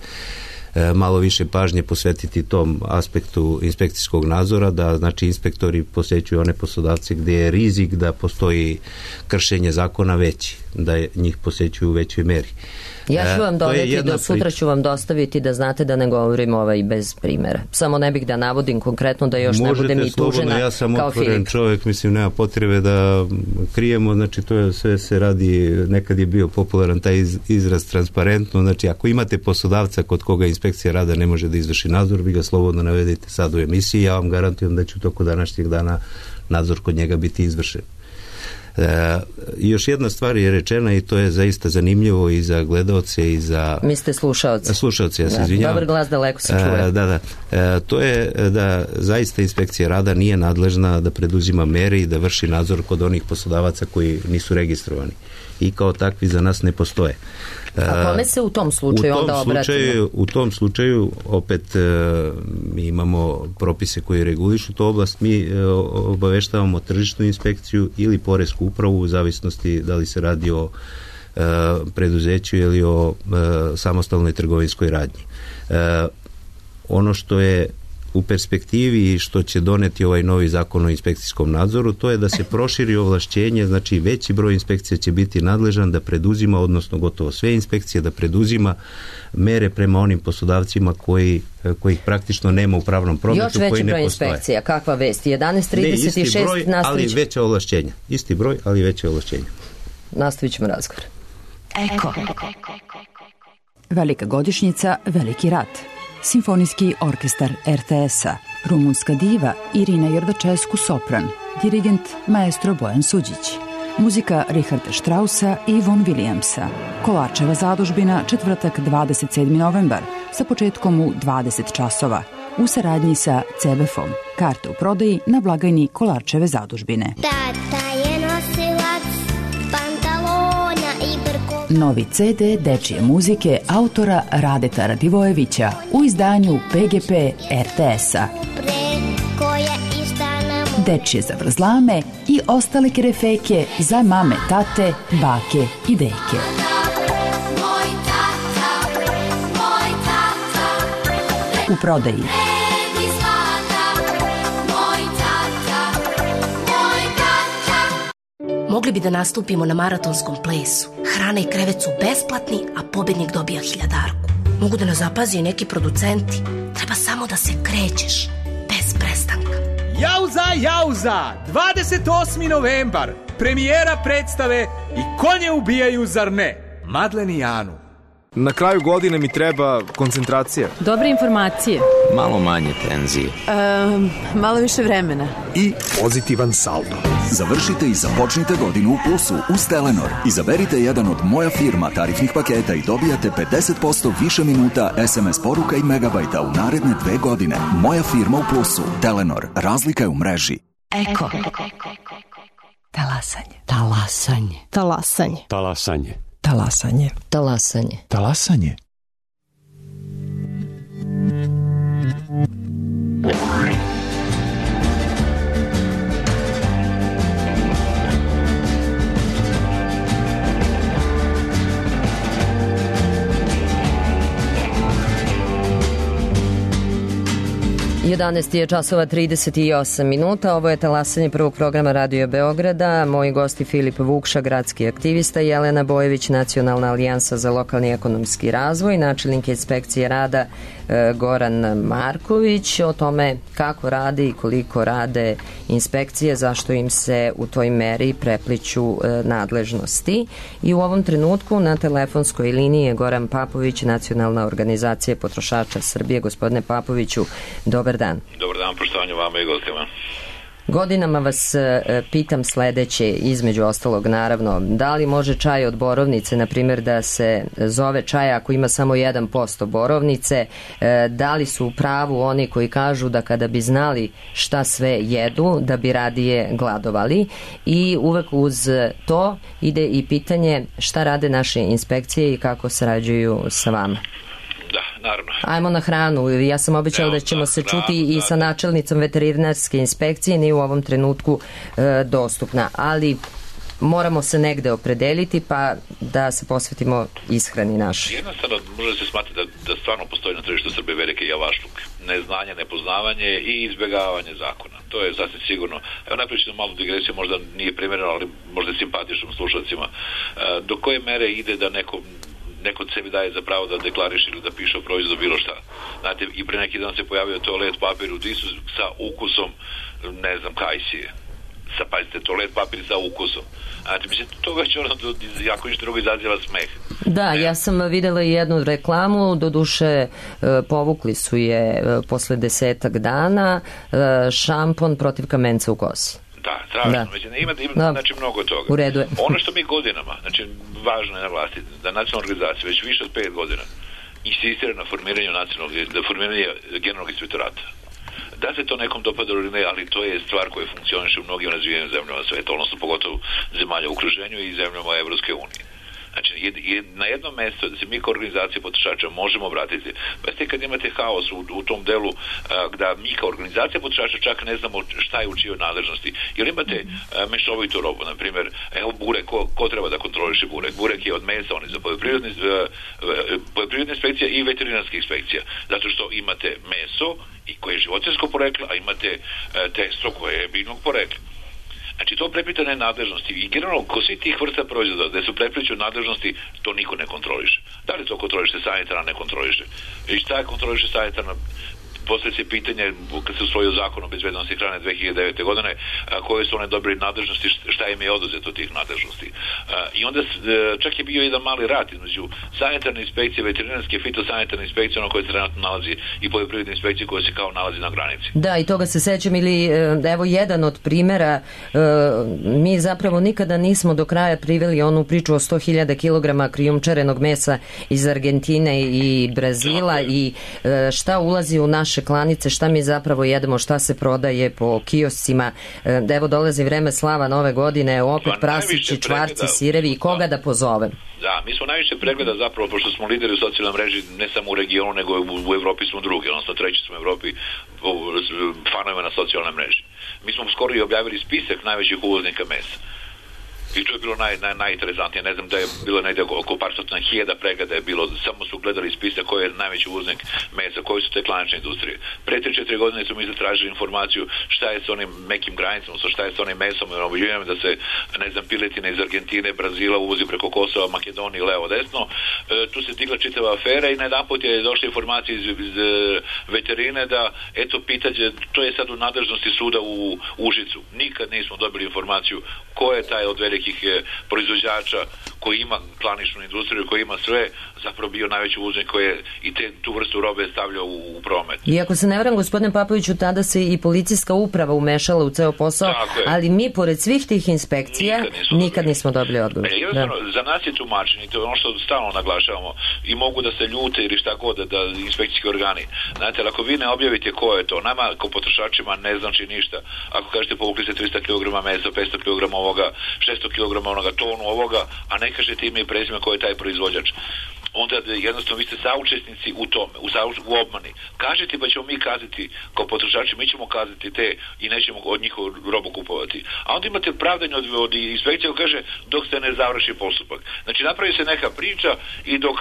malo više pažnje posvetiti tom aspektu inspekcijskog nadzora, da znači inspektori posjećuju one poslodavce gdje je rizik da postoji kršenje zakona veći. da je, njih posećuju u većoj meri. Ja ću vam dodati, do sutra priča. ću vam dostaviti da znate da ne govorim ovaj bez primjera. Samo ne bih da navodim konkretno da još Možete ne budem i tužena kao Filip. Ja sam otvoren čovjek, mislim, nema potrebe da krijemo, znači to je, sve se radi, nekad je bio popularan taj iz, izraz transparentno, znači ako imate poslodavca kod koga inspekcija rada ne može da izvrši nadzor, vi ga slobodno navedete sad u emisiji, ja vam garantujem da će u toku današnjeg dana nadzor kod njega biti izvršen. E, još jedna stvar je rečena i to je zaista zanimljivo i za gledaoce i za... Mi ste slušaoci. Slušaoci, ja se da, izvinjavam. Dobar glas daleko se čuje. E, da, da. E, to je da zaista inspekcija rada nije nadležna da preduzima mere i da vrši nadzor kod onih poslodavaca koji nisu registrovani. I kao takvi za nas ne postoje. A kome se u tom slučaju u tom onda obratimo? Slučaju, u tom slučaju opet e, mi imamo propise koji regulišu tu oblast, mi e, obaveštavamo tržišnu inspekciju ili poresku upravu u zavisnosti da li se radi o e, preduzeću ili o e, samostalnoj trgovinskoj radnji. E, ono što je u perspektivi i što će doneti ovaj novi zakon o inspekcijskom nadzoru, to je da se proširi ovlašćenje, znači veći broj inspekcija će biti nadležan da preduzima, odnosno gotovo sve inspekcije da preduzima mere prema onim poslodavcima koji, kojih praktično nema u pravnom prometu, koji ne postoje. Još veći broj inspekcija, kakva vest? jedanaest trideset šest ne, isti broj, nastavit ali veća ovlašćenja. Isti broj, ali veća ovlašćenja. Nastavit ćemo razgovor. Eko. Velika godišnjica, veliki rat. Simfonijski orkestar er te es-a, rumunska diva Irina Jordačescu sopran, dirigent maestro Bojan Suđić, muzika Richarda Straussa i Von Williamsa, Kolarčeva zadužbina, četvrtak dvadeset sedmi novembar, sa početkom u dvadeset časova, u saradnji sa ce be efom. Karte u prodaji na blagajni Kolarčeve zadužbine. Tata je nosilac pantalona i brko. Novi ce de dečije muzike autora Radeta Radivojevića u izdanju pe ge pe er te es-a. Dečije zavrzlame i ostale kerefeke za mame, tate, bake i deke. U prodaji. Mogli bi da nastupimo na maratonskom plesu. Hrana i krevet su besplatni, a pobednik dobija hiljadarku. Mogu da nas zapazi i neki producenti. Treba samo da se krećeš, bez prestanka. Jauza, jauza! dvadeset osmi novembar. Premijera predstave I konje ubijaju, zar ne? Madlen i Anu. Na kraju godine mi treba koncentracija. Dobre informacije. Malo manje tenzije. Um, malo više vremena. I pozitivan saldo. Završite i započnite godinu u plusu uz Telenor. Izaberite jedan od Moja firma tarifnih paketa i dobijate pedeset posto više minuta es em es poruka i megabajta u naredne dve godine. Moja firma u plusu. Telenor. Razlika je u mreži. Eko. Talasanje. Talasanje. Talasanje. Talasanje. Talasanje. Talasanje. Talasanje. jedanaest je časova trideset osam minuta. Ovo je talasanje prvog programa Radio Beograda. Moji gosti Filip Vukša, gradski aktivista, Jelena Bojević, Nacionalna alijansa za lokalni ekonomski razvoj, načelnik inspekcije rada Goran Marković. O tome kako rade i koliko rade inspekcije, zašto im se u toj meri prepliću nadležnosti. I u ovom trenutku na telefonskoj liniji je Goran Papović, Nacionalna organizacija potrošača Srbije. Gospodine Papoviću, dobar dan. Dobar dan, poštovanju vama i gostima. Godinama vas pitam sledeće, između ostalog naravno, da li može čaj od borovnice, na primjer, da se zove čaj ako ima samo jedan posto borovnice, da li su u pravu oni koji kažu da kada bi znali šta sve jedu, da bi radije gladovali, i uvek uz to ide i pitanje šta rade naše inspekcije i kako sarađuju sa vama. Da, naravno. Ajmo na hranu. Ja sam obećala da ćemo se čuti i sa načelnicom veterinarske inspekcije, nije u ovom trenutku e, dostupna. Ali moramo se negde opredeliti pa da se posvetimo ishrani našoj. Jednostavno može se smatrati da, da stvarno postoji na tržištu Srbije velike javašluk. Neznanje, nepoznavanje i izbjegavanje zakona. To je sasvim sigurno. Evo napričam malu digresiju, možda nije primjereno, ali možda je simpatičnom slušalcima. Do koje mere ide da neko neko sebi daje za pravo da deklariše ili da piše o proizvodu bilo šta. Znate, i pre neki dan se pojavio toalet papir u disu sa ukusom, ne znam, kajsije. Sa, pazite, toalet papir sa ukusom. Znači, mislim, to već ono, jako ništa drugo izaziva smeh. Da, ja sam videla i jednu reklamu, doduše povukli su je posle desetak dana, šampon protiv kamenca u kosi. Da, strašno. Da. Mislim, ima, ima da. Znači, mnogo toga. U redu je. Ono što mi godinama, znači, važno je naglasiti, da nacionalna organizacija već više od pet godina insistira na formiranju nacionalnog, da formiranje generalnog inspektorata. Da se to nekom dopada ili ne, ali to je stvar koja funkcioniše u mnogim razvijenim zemljama sveta, odnosno pogotovo zemalja u okruženju i zemljama Evropske unije. Znači, jed, jed, na jednom mjestu da se mi kao organizacija potrošača možemo obratiti. Pa ste kad imate haos u, u tom delu a, da mi kao organizacija potrošača čak ne znamo šta je u čijoj nadležnosti. Jer imate a, mešovitu robu, na primjer, evo burek, ko, ko treba da kontroliše burek? Burek je od mesa, on je za poljoprivredne, poljoprivredne inspekcija i veterinarske inspekcija. Zato što imate meso i koje je životinjsko poreklo, a imate a, testo koje je biljnog porekla. Znači, to prepitane nadležnosti i generalno ko svi tih vrsta proizvoda da su prepliču nadležnosti, to niko ne kontroliše. Da li to kontroliše sanitarna, ne kontroliše? I šta je kontroliše sanitarna? Poslije se pitanje, kad se usvojio zakon o bezbednosti hrane dve hiljade devete godine, a, koje su one dobili nadležnosti, šta im je oduzeto tih nadležnosti. A, I onda čak je bio jedan mali rat između sanitarne inspekcije, veterinarske, fitosanitarne inspekcije, ono koje se trenutno nalazi, i poljoprivredne inspekcije koje se kao nalazi na granici. Da, i toga se sećam, ili evo jedan od primjera, mi zapravo nikada nismo do kraja priveli onu priču o sto hiljada kilograma krijumčarenog mesa iz Argentine i Brazila i šta ulazi u naš klanice, šta mi zapravo jedemo, šta se prodaje po kioscima. Evo dolazi vreme slava nove godine, opet pa prasići, čvarci, sirevi i koga da, da pozovem? Da, mi smo najviše pregleda zapravo, pošto smo lideri u socijalnoj mreži, ne samo u regionu, nego u, u Evropi smo drugi, odnosno treći smo u Evropi fanovima na socijalnoj mreži. Mi smo skoro i objavili spisak najvećih uvoznika mesa. I to je bilo naj, naj, najinteresantnije. Ne znam da je bilo negdje oko par stotina hiljada pregleda je bilo, samo su gledali spisak koji je najveći uvoznik mesa, koji su te klanične industrije. Pre tri četiri godine su mi zatražili informaciju šta je s onim mekim granicama, šta je s onim mesom, i obiljujem da se, ne znam, piletina iz Argentine, Brazila uvozi preko Kosova, Makedonije, levo, desno. E, tu se digla čitava afera i na jedan put je došla informacija iz, iz veterine da, eto, pitanje, to je sad u nadležnosti suda u Užicu. Nikad nismo dobili informaciju ko je taj od velikih proizvođača koji ima klaničnu industriju, koji ima sve, zapravo bio najveći uvoznik koji je i te, tu vrstu robe stavljao u, u promet. I ako se ne varam, gospodine Papoviću, tada se i policijska uprava umešala u ceo posao, ali mi pored svih tih inspekcija nikad nismo, nikad nismo dobili odgovor. E, jednostavno, da. Za nas je tumačenje, to je ono što stalno naglašavamo, i mogu da se ljute ili šta god da, da inspekcijski organi. Znate, ako vi ne objavite ko je to, nama kao potrošačima ne znači ništa. Ako kažete povukli se tristo kilograma mesa, petsto kilograma ovoga, šesto kilograma onoga, tonu ovoga, a ne kažete ime i prezime ko je taj proizvođač, onda jednostavno vi ste saučesnici u tome, u, sauč, u obmani. Kažete pa ćemo mi kazati kao potrošači, mi ćemo kazati te i nećemo od njihovu robu kupovati. A onda imate pravdanje od, od inspekcija koja kaže dok se ne završi postupak. Znači napravi se neka priča i dok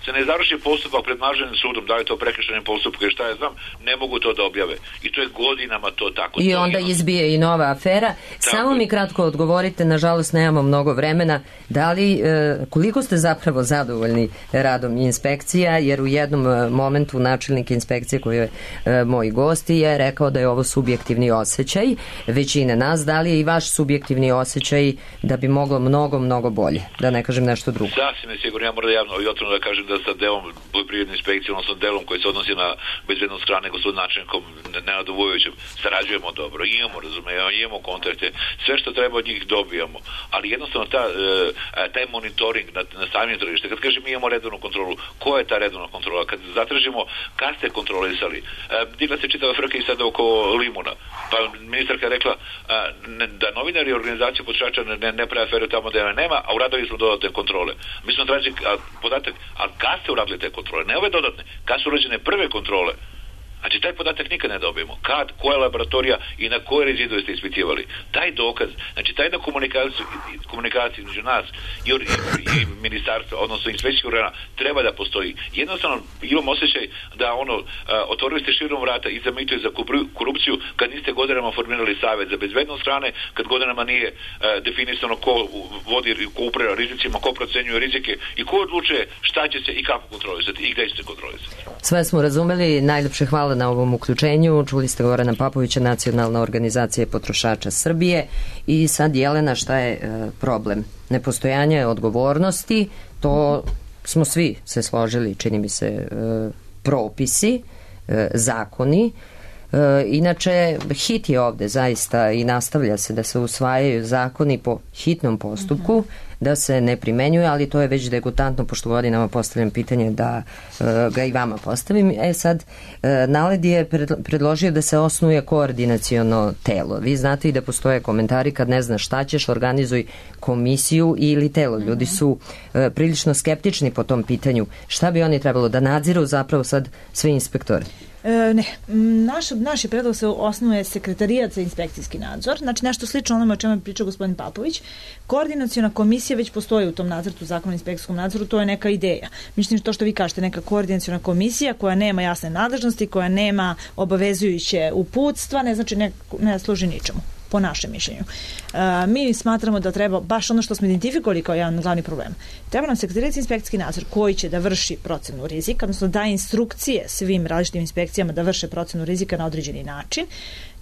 se ne završi postupak pred nadležnim sudom, da li to prekršajni postupak ili šta ja znam, ne mogu to da objave. I to je godinama to tako. I onda izbije i nova afera. Tako. Samo mi kratko odgovorite, nažalost nemamo mnogo vremena. Da li, koliko ste zapravo zadovoljni radom inspekcija, jer u jednom momentu načelnik inspekcije koji je e, moj gost je rekao da je ovo subjektivni osjećaj većine nas. Da li je i vaš subjektivni osjećaj da bi moglo mnogo, mnogo bolje? Da ne kažem nešto drugo. Sasvim je sigurno, ja moram javno i otvoreno da kažem da sa delom poljoprivredne inspekcije, odnosno delom koji se odnosi na bezbednost hrane, gospodin načelnikom Nenadom Vujovićem, sarađujemo dobro, imamo razumijevanje, imamo kontakte, sve što treba od njih dobijamo, ali jednostavno ta, e, taj monitoring na, na samim tržište, kad kažem mi imamo redovnu kontrolu, ko je ta redovna kontrola? Kad zatražimo, kad ste kontrolisali? E, digla se čitava frka i sada oko limuna. Pa ministarka je rekla a, ne, da novinari organizacije potrošača ne, ne, ne prave aferu tamo da je nema, a uradili smo dodatne kontrole. Mi smo tražili podatak, a kad ste uradili te kontrole? Ne ove dodatne, kad su urađene prve kontrole? Znači, taj podatak nikad ne dobijemo. Kad, koja laboratorija i na koje rezidue ste ispitivali. Taj dokaz, znači, taj jedna komunikacija, komunikacija između nas i, i, i ministarstva, odnosno inspekcijskih organa, treba da postoji. Jednostavno, imam osjećaj da ono, uh, otvorili ste širom vrata i za mito i za korupciju kad niste godinama formirali savjet za bezbednost hrane, kad godinama nije uh, definisano ko vodi, ko upravlja rizicima, ko procenjuje rizike i ko odlučuje šta će se i kako kontrolisati i gde će se kontrolisati. Sve smo razumeli, najlepše hvala na ovom uključenju. Čuli ste Gorana Papovića, Nacionalna organizacija potrošača Srbije. I sad, Jelena, šta je e, problem? Nepostojanje odgovornosti, to smo svi se složili, čini mi se, e, propisi, e, zakoni. E, inače, hit je ovde zaista i nastavlja se da se usvajaju zakoni po hitnom postupku, da se ne primenjuje, ali to je već degutantno, pošto godinama postavljam pitanje da e, ga i vama postavim. E sad, e, Naled je predložio da se osnuje koordinaciono telo. Vi znate i da postoje komentari kad ne znaš šta ćeš, organizuj komisiju ili telo. Ljudi su e, prilično skeptični po tom pitanju. Šta bi oni trebalo da nadziru zapravo sad sve inspektore? E, ne, naš, naš je predlog se osnuje sekretarijat za inspekcijski nadzor, znači nešto slično onome o čemu je pričao gospodin Papović. Koordinaciona komisija već postoji u tom nacrtu zakona o inspekcijskom nadzoru, to je neka ideja. Mislim to što vi kažete, neka koordinaciona komisija koja nema jasne nadležnosti, koja nema obavezujuće uputstva, ne znači ne, ne služi ničemu, po našem mišljenju. E, mi smatramo da treba, baš ono što smo identifikovali kao jedan glavni problem, treba nam sekretarijat za inspekcijski nadzor koji će da vrši procenu rizika, odnosno da instrukcije svim različitim inspekcijama da vrše procenu rizika na određeni način,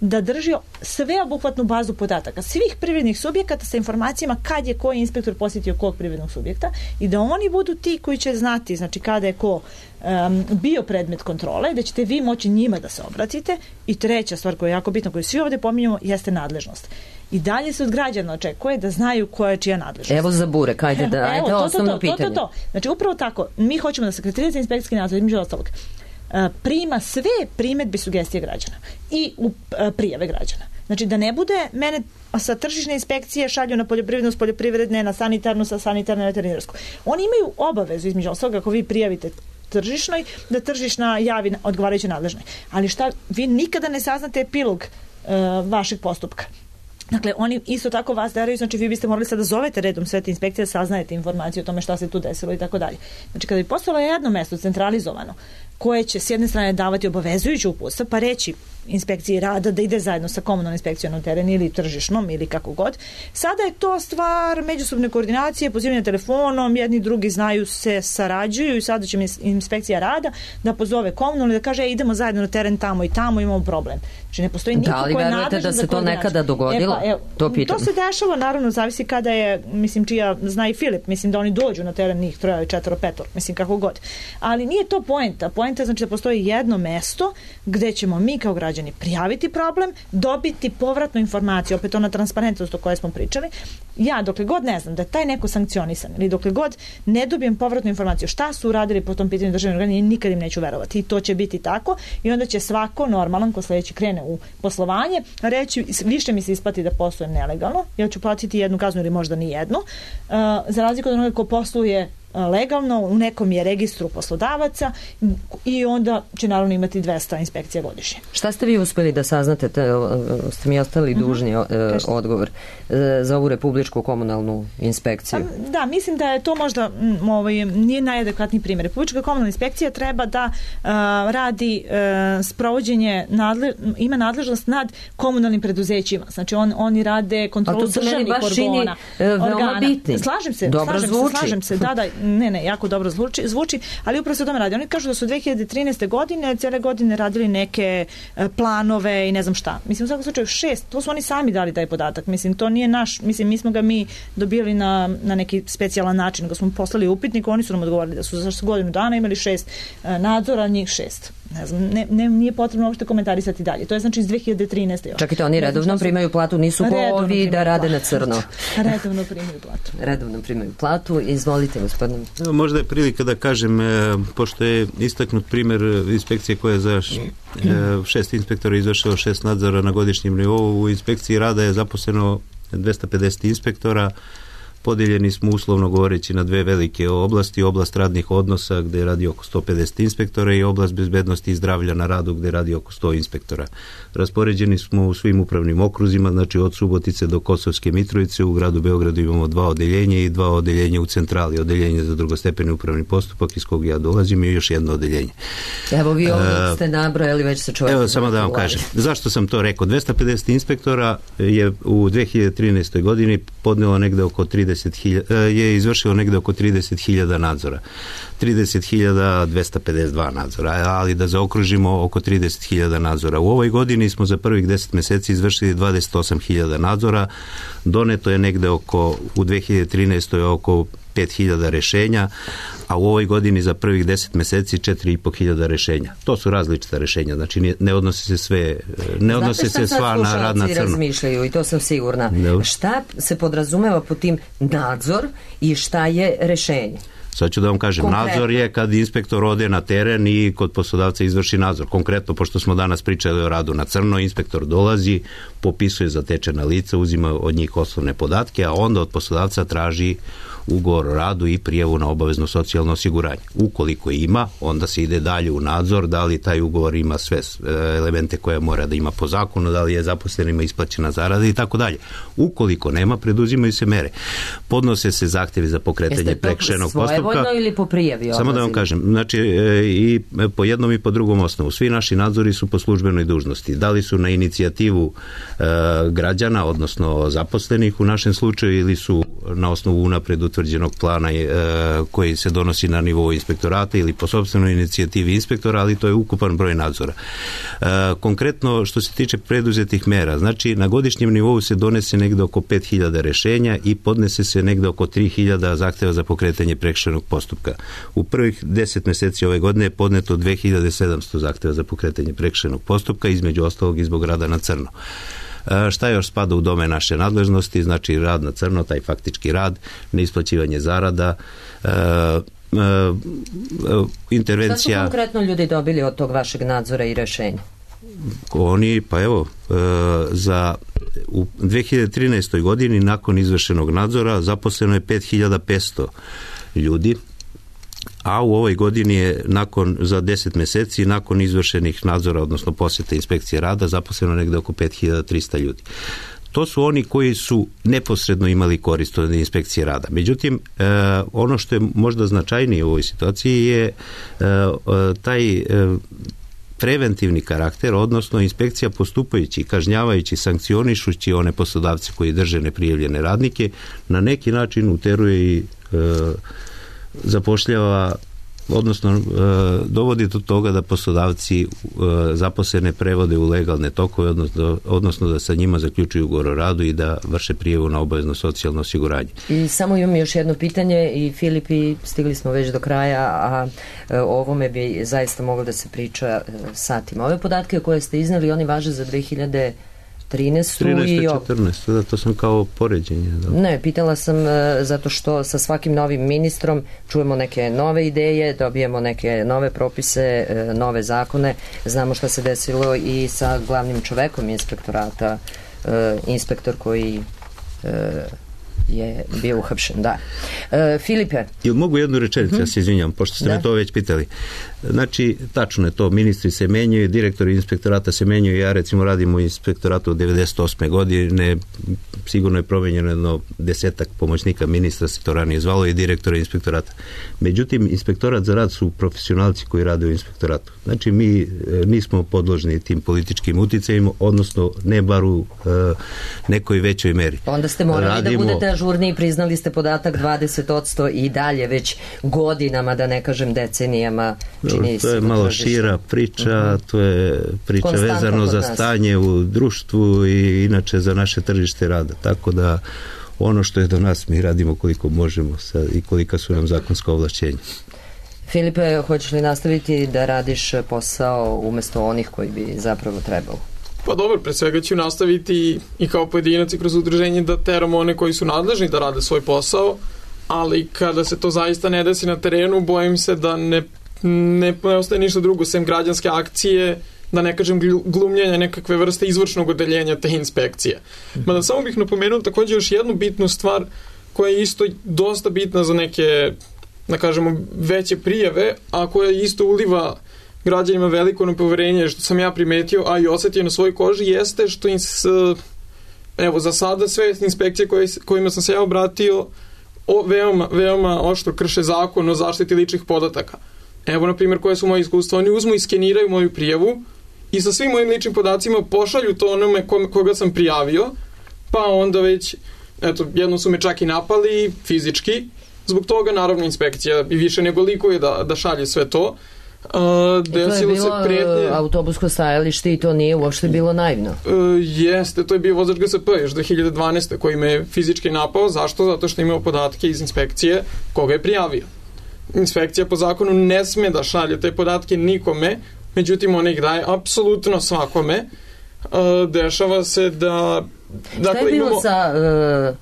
da drži sveobuhvatnu bazu podataka svih privrednih subjekata sa informacijama kad je koji inspektor posjetio kog privrednog subjekta i da oni budu ti koji će znati, znači kada je ko um, bio predmet kontrole, da ćete vi moći njima da se obratite. I treća stvar koja je jako bitna, koju svi ovdje pominjamo, jeste nadležnost. I dalje se od građana očekuje da znaju koja je čija nadležnost. Evo za burek, ajde da, ajde Evo, to, osnovno to, to, pitanje. To, to, to. Znači upravo tako, mi hoćemo da sekretarijat za inspekcijski nadzor, između ostalog, prima sve primedbe i sugestije građana i u prijave građana. Znači da ne bude mene sa tržišne inspekcije šalju na poljoprivrednu, s poljoprivredne, na sanitarnu, sa sanitarne, na veterinarsku. Oni imaju obavezu, između ostalog, ako vi prijavite tržišnoj, da tržišna javi odgovarajuće nadležnoj. Ali šta, vi nikada ne saznate epilog uh, vašeg postupka. Dakle, oni isto tako vas daraju, znači vi biste morali sada da zovete redom sve te inspekcije, da saznajete informaciju o tome šta se tu desilo i tako dalje. Znači, kada bi postojalo jedno mesto centralizovano, koje će s jedne strane davati obavezujuće uputstva, pa reći inspekciji rada da ide zajedno sa komunalnom inspekcijom na teren ili tržišnom ili kako god. Sada je to stvar međusobne koordinacije, pozivanja telefonom, jedni drugi znaju se, sarađuju i sada će inspekcija rada da pozove komunalnu i da kaže e, idemo zajedno na teren tamo i tamo, imamo problem. Znači ne postoji niko koji je nadležan za koordinaciju. Da li verujete da se to nekada dogodilo? E pa, evo, to pitam. To se dešava, naravno, zavisi kada je, mislim, čija zna i Filip, mislim da oni dođu na teren njih troje, četvoro, petor, mislim kako god. Ali nije to poenta. Poenta je znači da postoji jedno mesto gde ćemo mi kao građani prijaviti problem, dobiti povratnu informaciju, opet ona transparentnost o kojoj smo pričali. Ja, dokle god ne znam da je taj neko sankcionisan ili dokle god ne dobijem povratnu informaciju šta su uradili po tom pitanju državnih organa, nikad im neću verovati. I to će biti tako i onda će svako normalan ko sledeći krene u poslovanje reći više mi se isplati da poslujem nelegalno, ja ću platiti jednu kaznu ili možda ni jednu, uh, za razliku od onoga ko posluje legalno, u nekom je registru poslodavaca i onda će naravno imati dvesta inspekcija godišnje. Šta ste vi uspeli da saznate, te, ste mi ostali dužni uh -huh. odgovor za ovu republičku komunalnu inspekciju? Da, mislim da je to možda m, ovaj, nije najadekvatniji primjer. Republička komunalna inspekcija treba da uh, radi uh, sprovođenje, nadle, ima nadležnost nad komunalnim preduzećima. Znači on, oni rade kontrolu državnih organa. organa. Bitni. Slažem se, dobro slažem zvuči. se, slažem se, da, da, ne, ne, jako dobro zvuči, zvuči, ali upravo se o tome radi. Oni kažu da su dve hiljade trinaeste. godine, cijele godine radili neke planove i ne znam šta. Mislim, u svakom slučaju šest, to su oni sami dali taj podatak. Mislim, to nije naš, mislim, mi smo ga mi dobili na, na neki specijalan način, nego smo poslali upitnik, oni su nam odgovorili da su za godinu dana imali šest nadzora, njih šest. Ne znam, ne, ne, nije potrebno uopšte komentarisati dalje. To je znači iz dve hiljade trinaeste. još. Čekajte, oni redovno primaju platu, nisu ko ovi da rade na crno. Redovno primaju platu. Redovno primaju platu. Izvolite, gospodine. Možda je prilika da kažem, pošto je istaknut primjer inspekcije koja je za šest inspektora izvršila šest nadzora na godišnjem nivou, u inspekciji rada je zaposleno dvesta pedeset inspektora, podeljeni smo uslovno govoreći na dve velike oblasti, oblast radnih odnosa gde radi oko sto pedeset inspektora i oblast bezbednosti i zdravlja na radu gde radi oko sto inspektora. Raspoređeni smo u svim upravnim okruzima, znači od Subotice do Kosovske Mitrovice. U gradu Beogradu imamo dva odeljenja i dva odeljenja u centrali, odeljenje za drugostepeni upravni postupak iz kog ja dolazim i još jedno odeljenje. Evo vi ovdje ste nabrojali, već se čovjek... Evo samo da vam kažem, zašto sam to rekao? dvesta pedeset inspektora je u dve hiljade trinaestoj godini podnelo negde oko trideset hiljada, je izvršilo negde oko trideset hiljada nadzora. trideset hiljada dvesta pedeset dva nadzora, ali da zaokružimo oko trideset hiljada nadzora. U ovoj godini smo za prvih deset meseci izvršili dvadeset osam hiljada nadzora, doneto je negde oko, u dve hiljade trinaestoj oko pet hiljada rešenja, a u ovoj godini za prvih deset meseci četiri i po hiljada rešenja. To su različita rešenja, znači ne odnose se sve, ne odnose se sva na rad na crno. Razmišljaju i to sam sigurna. No. Šta se podrazumeva po tim nadzor i šta je rešenje? Sad ću da vam kažem, konkretno. Nadzor je kad inspektor ode na teren i kod poslodavca izvrši nadzor. Konkretno, pošto smo danas pričali o radu na crno, inspektor dolazi, popisuje zatečena lica, uzima od njih osnovne podatke, a onda od poslodavca traži ugovor o radu i prijavu na obavezno socijalno osiguranje. Ukoliko ima, onda se ide dalje u nadzor, da li taj ugovor ima sve elemente koje mora da ima po zakonu, da li je zaposlenima isplaćena zarada i tako dalje. Ukoliko nema, preduzimaju se mere. Podnose se zahtjevi za pokretanje prekršajnog postupka. Jeste to svojevoljno ili po prijavi? Samo da vam kažem, znači i po jednom i po drugom osnovu. Svi naši nadzori su po službenoj dužnosti. Da li su na inicijativu e, građana, odnosno zaposlenih u našem slučaju, ili su na osnovu unapred utvrđenog plana e, koji se donosi na nivou inspektorata ili po sopstvenoj inicijativi inspektora, ali to je ukupan broj nadzora. E, konkretno, što se tiče preduzetih mera, znači na godišnjem nivou se donese negde oko pet hiljada rešenja i podnese se negde oko tri hiljade zahteva za pokretanje prekršajnog postupka. U prvih deset meseci ove godine je podneto dve hiljade sedamsto zahteva za pokretanje prekršajnog postupka, između ostalog i zbog rada na crno. Šta još spada u domen naše nadležnosti? Znači rad na crno, taj faktički rad, neisplaćivanje zarada, e, e, intervencija... Šta su konkretno ljudi dobili od tog vašeg nadzora i rešenja? Oni, pa evo, e, za u dve hiljade trinaestoj godini nakon izvršenog nadzora zaposleno je pet hiljada petsto ljudi, a u ovoj godini je nakon, za deset meseci, nakon izvršenih nadzora, odnosno posjeta inspekcije rada, zaposleno negde oko pet hiljada trista ljudi. To su oni koji su neposredno imali korist od inspekcije rada. Međutim, e, ono što je možda značajnije u ovoj situaciji je e, taj e, preventivni karakter, odnosno inspekcija postupajući, kažnjavajući, sankcionišući one poslodavce koji drže neprijavljene radnike, na neki način uteruje i e, zapošljava, odnosno e, dovodi do toga da poslodavci e, zaposlene prevode u legalne tokove, odnosno, odnosno da sa njima zaključuju ugovor o radu i da vrše prijavu na obavezno socijalno osiguranje. I samo imam još jedno pitanje i Filipi, stigli smo već do kraja, a e, o ovome bi zaista moglo da se priča e, satima. Ove podatke koje ste iznali, oni važe za dve hiljade trinaestu i četrnaestu, da, to sam kao poređenje. Da. Ne, pitala sam uh, zato što sa svakim novim ministrom čujemo neke nove ideje, dobijemo neke nove propise, uh, nove zakone. Znamo šta se desilo i sa glavnim čovekom inspektorata, uh, inspektor koji uh, je bio uhapšen, da. E, Filipe. Jel mogu jednu rečenicu, mm-hmm. ja se izvinjam, pošto ste da. me to već pitali. Znači, tačno je to, ministri se menjaju, direktori inspektorata se menjaju, ja recimo radim u inspektoratu od devedeset osme godine, sigurno je promenjeno jedno desetak pomoćnika ministra, se to ranije zvalo, i direktora inspektorata. Međutim, inspektorat za rad su profesionalci koji rade u inspektoratu. Znači, mi nismo podložni tim političkim uticajima, odnosno ne bar u e, nekoj većoj meri. Onda ste morali Radimo, da budete ažurniji, priznali ste podatak dvadeset posto i dalje već godinama, da ne kažem decenijama. Čini to je malo tržište. Šira priča, uh-huh. to je priča vezano za stanje u društvu i inače za naše tržište rada. Tako da ono što je do nas mi radimo koliko možemo sad i kolika su nam zakonska ovlašćenja. Filipe, hoćeš li nastaviti da radiš posao umjesto onih koji bi zapravo trebalo? Pa dobro, pre svega ću nastaviti i kao pojedinac i kroz udruženje da teramo one koji su nadležni da rade svoj posao, ali kada se to zaista ne desi na terenu, bojim se da ne, ne, ne ostaje ništa drugo sem građanske akcije, da ne kažem glumljenja nekakve vrste izvršnog odeljenja te inspekcije. Mada samo bih napomenuo također još jednu bitnu stvar koja je isto dosta bitna za neke, da kažemo, veće prijave, a koja isto uliva građanima veliko nepoverenje, što sam ja primetio, a i osetio na svojoj koži, jeste što im s, evo, za sada sve inspekcije koje, kojima sam se ja obratio o, veoma, veoma oštro krše zakon o zaštiti ličnih podataka. Evo, na primjer, koje su moje iskustva. Oni uzmu i skeniraju moju prijavu i sa svim mojim ličnim podacima pošalju to onome koga sam prijavio, pa onda već, eto, jednom su me čak i napali fizički, zbog toga naravno inspekcija i više nego likuje da, da šalje sve to. Uh, desilo to je bilo se pretnje, autobusko stajalište i to nije uopšte bilo naivno. Uh, jeste, to je bio vozač G S P još dve hiljade dvanaeste koji me fizički napao. Zašto? Zato što imao podatke iz inspekcije koga je prijavio. Inspekcija po zakonu ne sme da šalje te podatke nikome, međutim ona ih daje apsolutno svakome. Uh, dešava se da... Dakle, šta je bilo imamo... sa... Uh...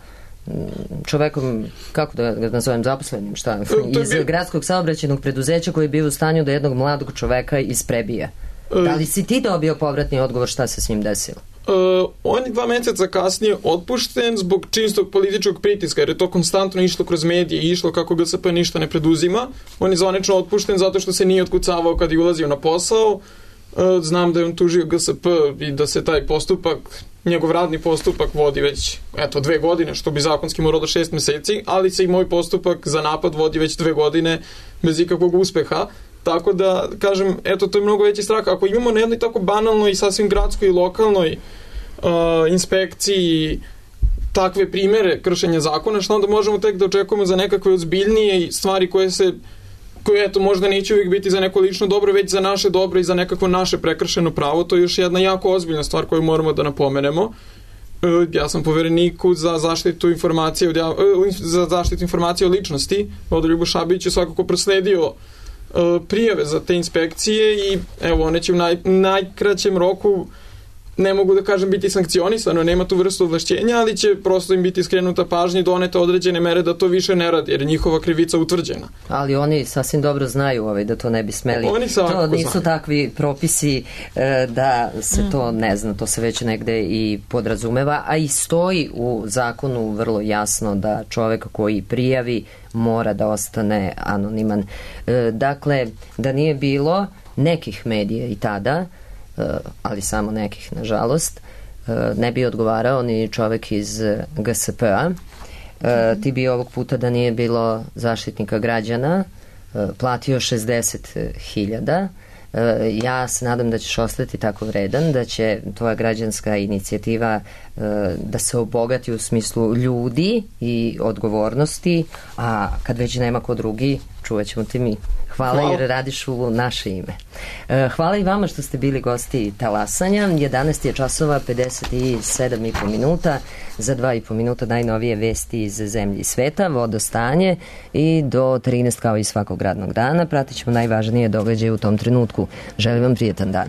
čovekom, kako da ga nazovem, zaposlenim, šta, iz bi... gradskog saobraćajnog preduzeća koji je bio u stanju da jednog mladog čoveka isprebije. Da li si ti dobio povratni odgovor šta se s njim desilo? Uh, on je dva meseca kasnije otpušten zbog čistog političkog pritiska, jer je to konstantno išlo kroz medije i išlo kako G S P ništa ne preduzima. On je zvanično otpušten zato što se nije otkucavao kad je ulazio na posao. Uh, znam da je on tužio G S P i da se taj postupak, njegov radni postupak vodi već, eto, dve godine, što bi zakonski moralo da šest meseci, ali se i moj postupak za napad vodi već dve godine bez ikakvog uspeha. Tako da, kažem, eto, to je mnogo veći strah. Ako imamo na jednoj tako banalnoj i sasvim gradskoj i lokalnoj uh, inspekciji takve primere kršenja zakona, što onda možemo tek da očekujemo za nekakve ozbiljnije stvari koje se, koje, eto, možda neće uvijek biti za neko lično dobro, već za naše dobro i za nekako naše prekršeno pravo. To je još jedna jako ozbiljna stvar koju moramo da napomenemo. Uh, ja sam povereniku za zaštitu informacije, uh, za zaštitu informacije o ličnosti, Rodoljubu Šabiću, svakako prosledio prijave za te inspekcije i evo, one će u naj, najkraćem roku, ne mogu da kažem biti sankcionisano, nema tu vrstu ovlašćenja, ali će prosto im biti skrenuta pažnja i donete određene mere da to više ne radi, jer je njihova krivica utvrđena. Ali oni sasvim dobro znaju ovaj, da to ne bi smeli. Oni to nisu znaju. Takvi propisi e, da se mm. to ne zna, to se već negde i podrazumeva, a i stoji u zakonu vrlo jasno da čovek koji prijavi mora da ostane anoniman. E, dakle, da nije bilo nekih medija i tada, ali samo nekih, nažalost, ne bi odgovarao ni čovek iz G S P-a. Ti bi ovog puta, da nije bilo Zaštitnika građana, platio šezdeset hiljada. Ja se nadam da ćeš ostati tako vredan, da će tvoja građanska inicijativa da se obogati u smislu ljudi i odgovornosti, a kad već nema ko drugi, čuvat ćemo ti mi. Hvala, Hvala jer radiš u naše ime. Hvala i vama što ste bili gosti Talasanja. jedanaest je časova, pedeset sedam i po minuta. Za dva i po minuta najnovije vesti iz zemlje i sveta, vodostanje i do trinaest kao i svakog radnog dana. Pratit ćemo najvažnije događaje u tom trenutku. Želim vam prijetan dan.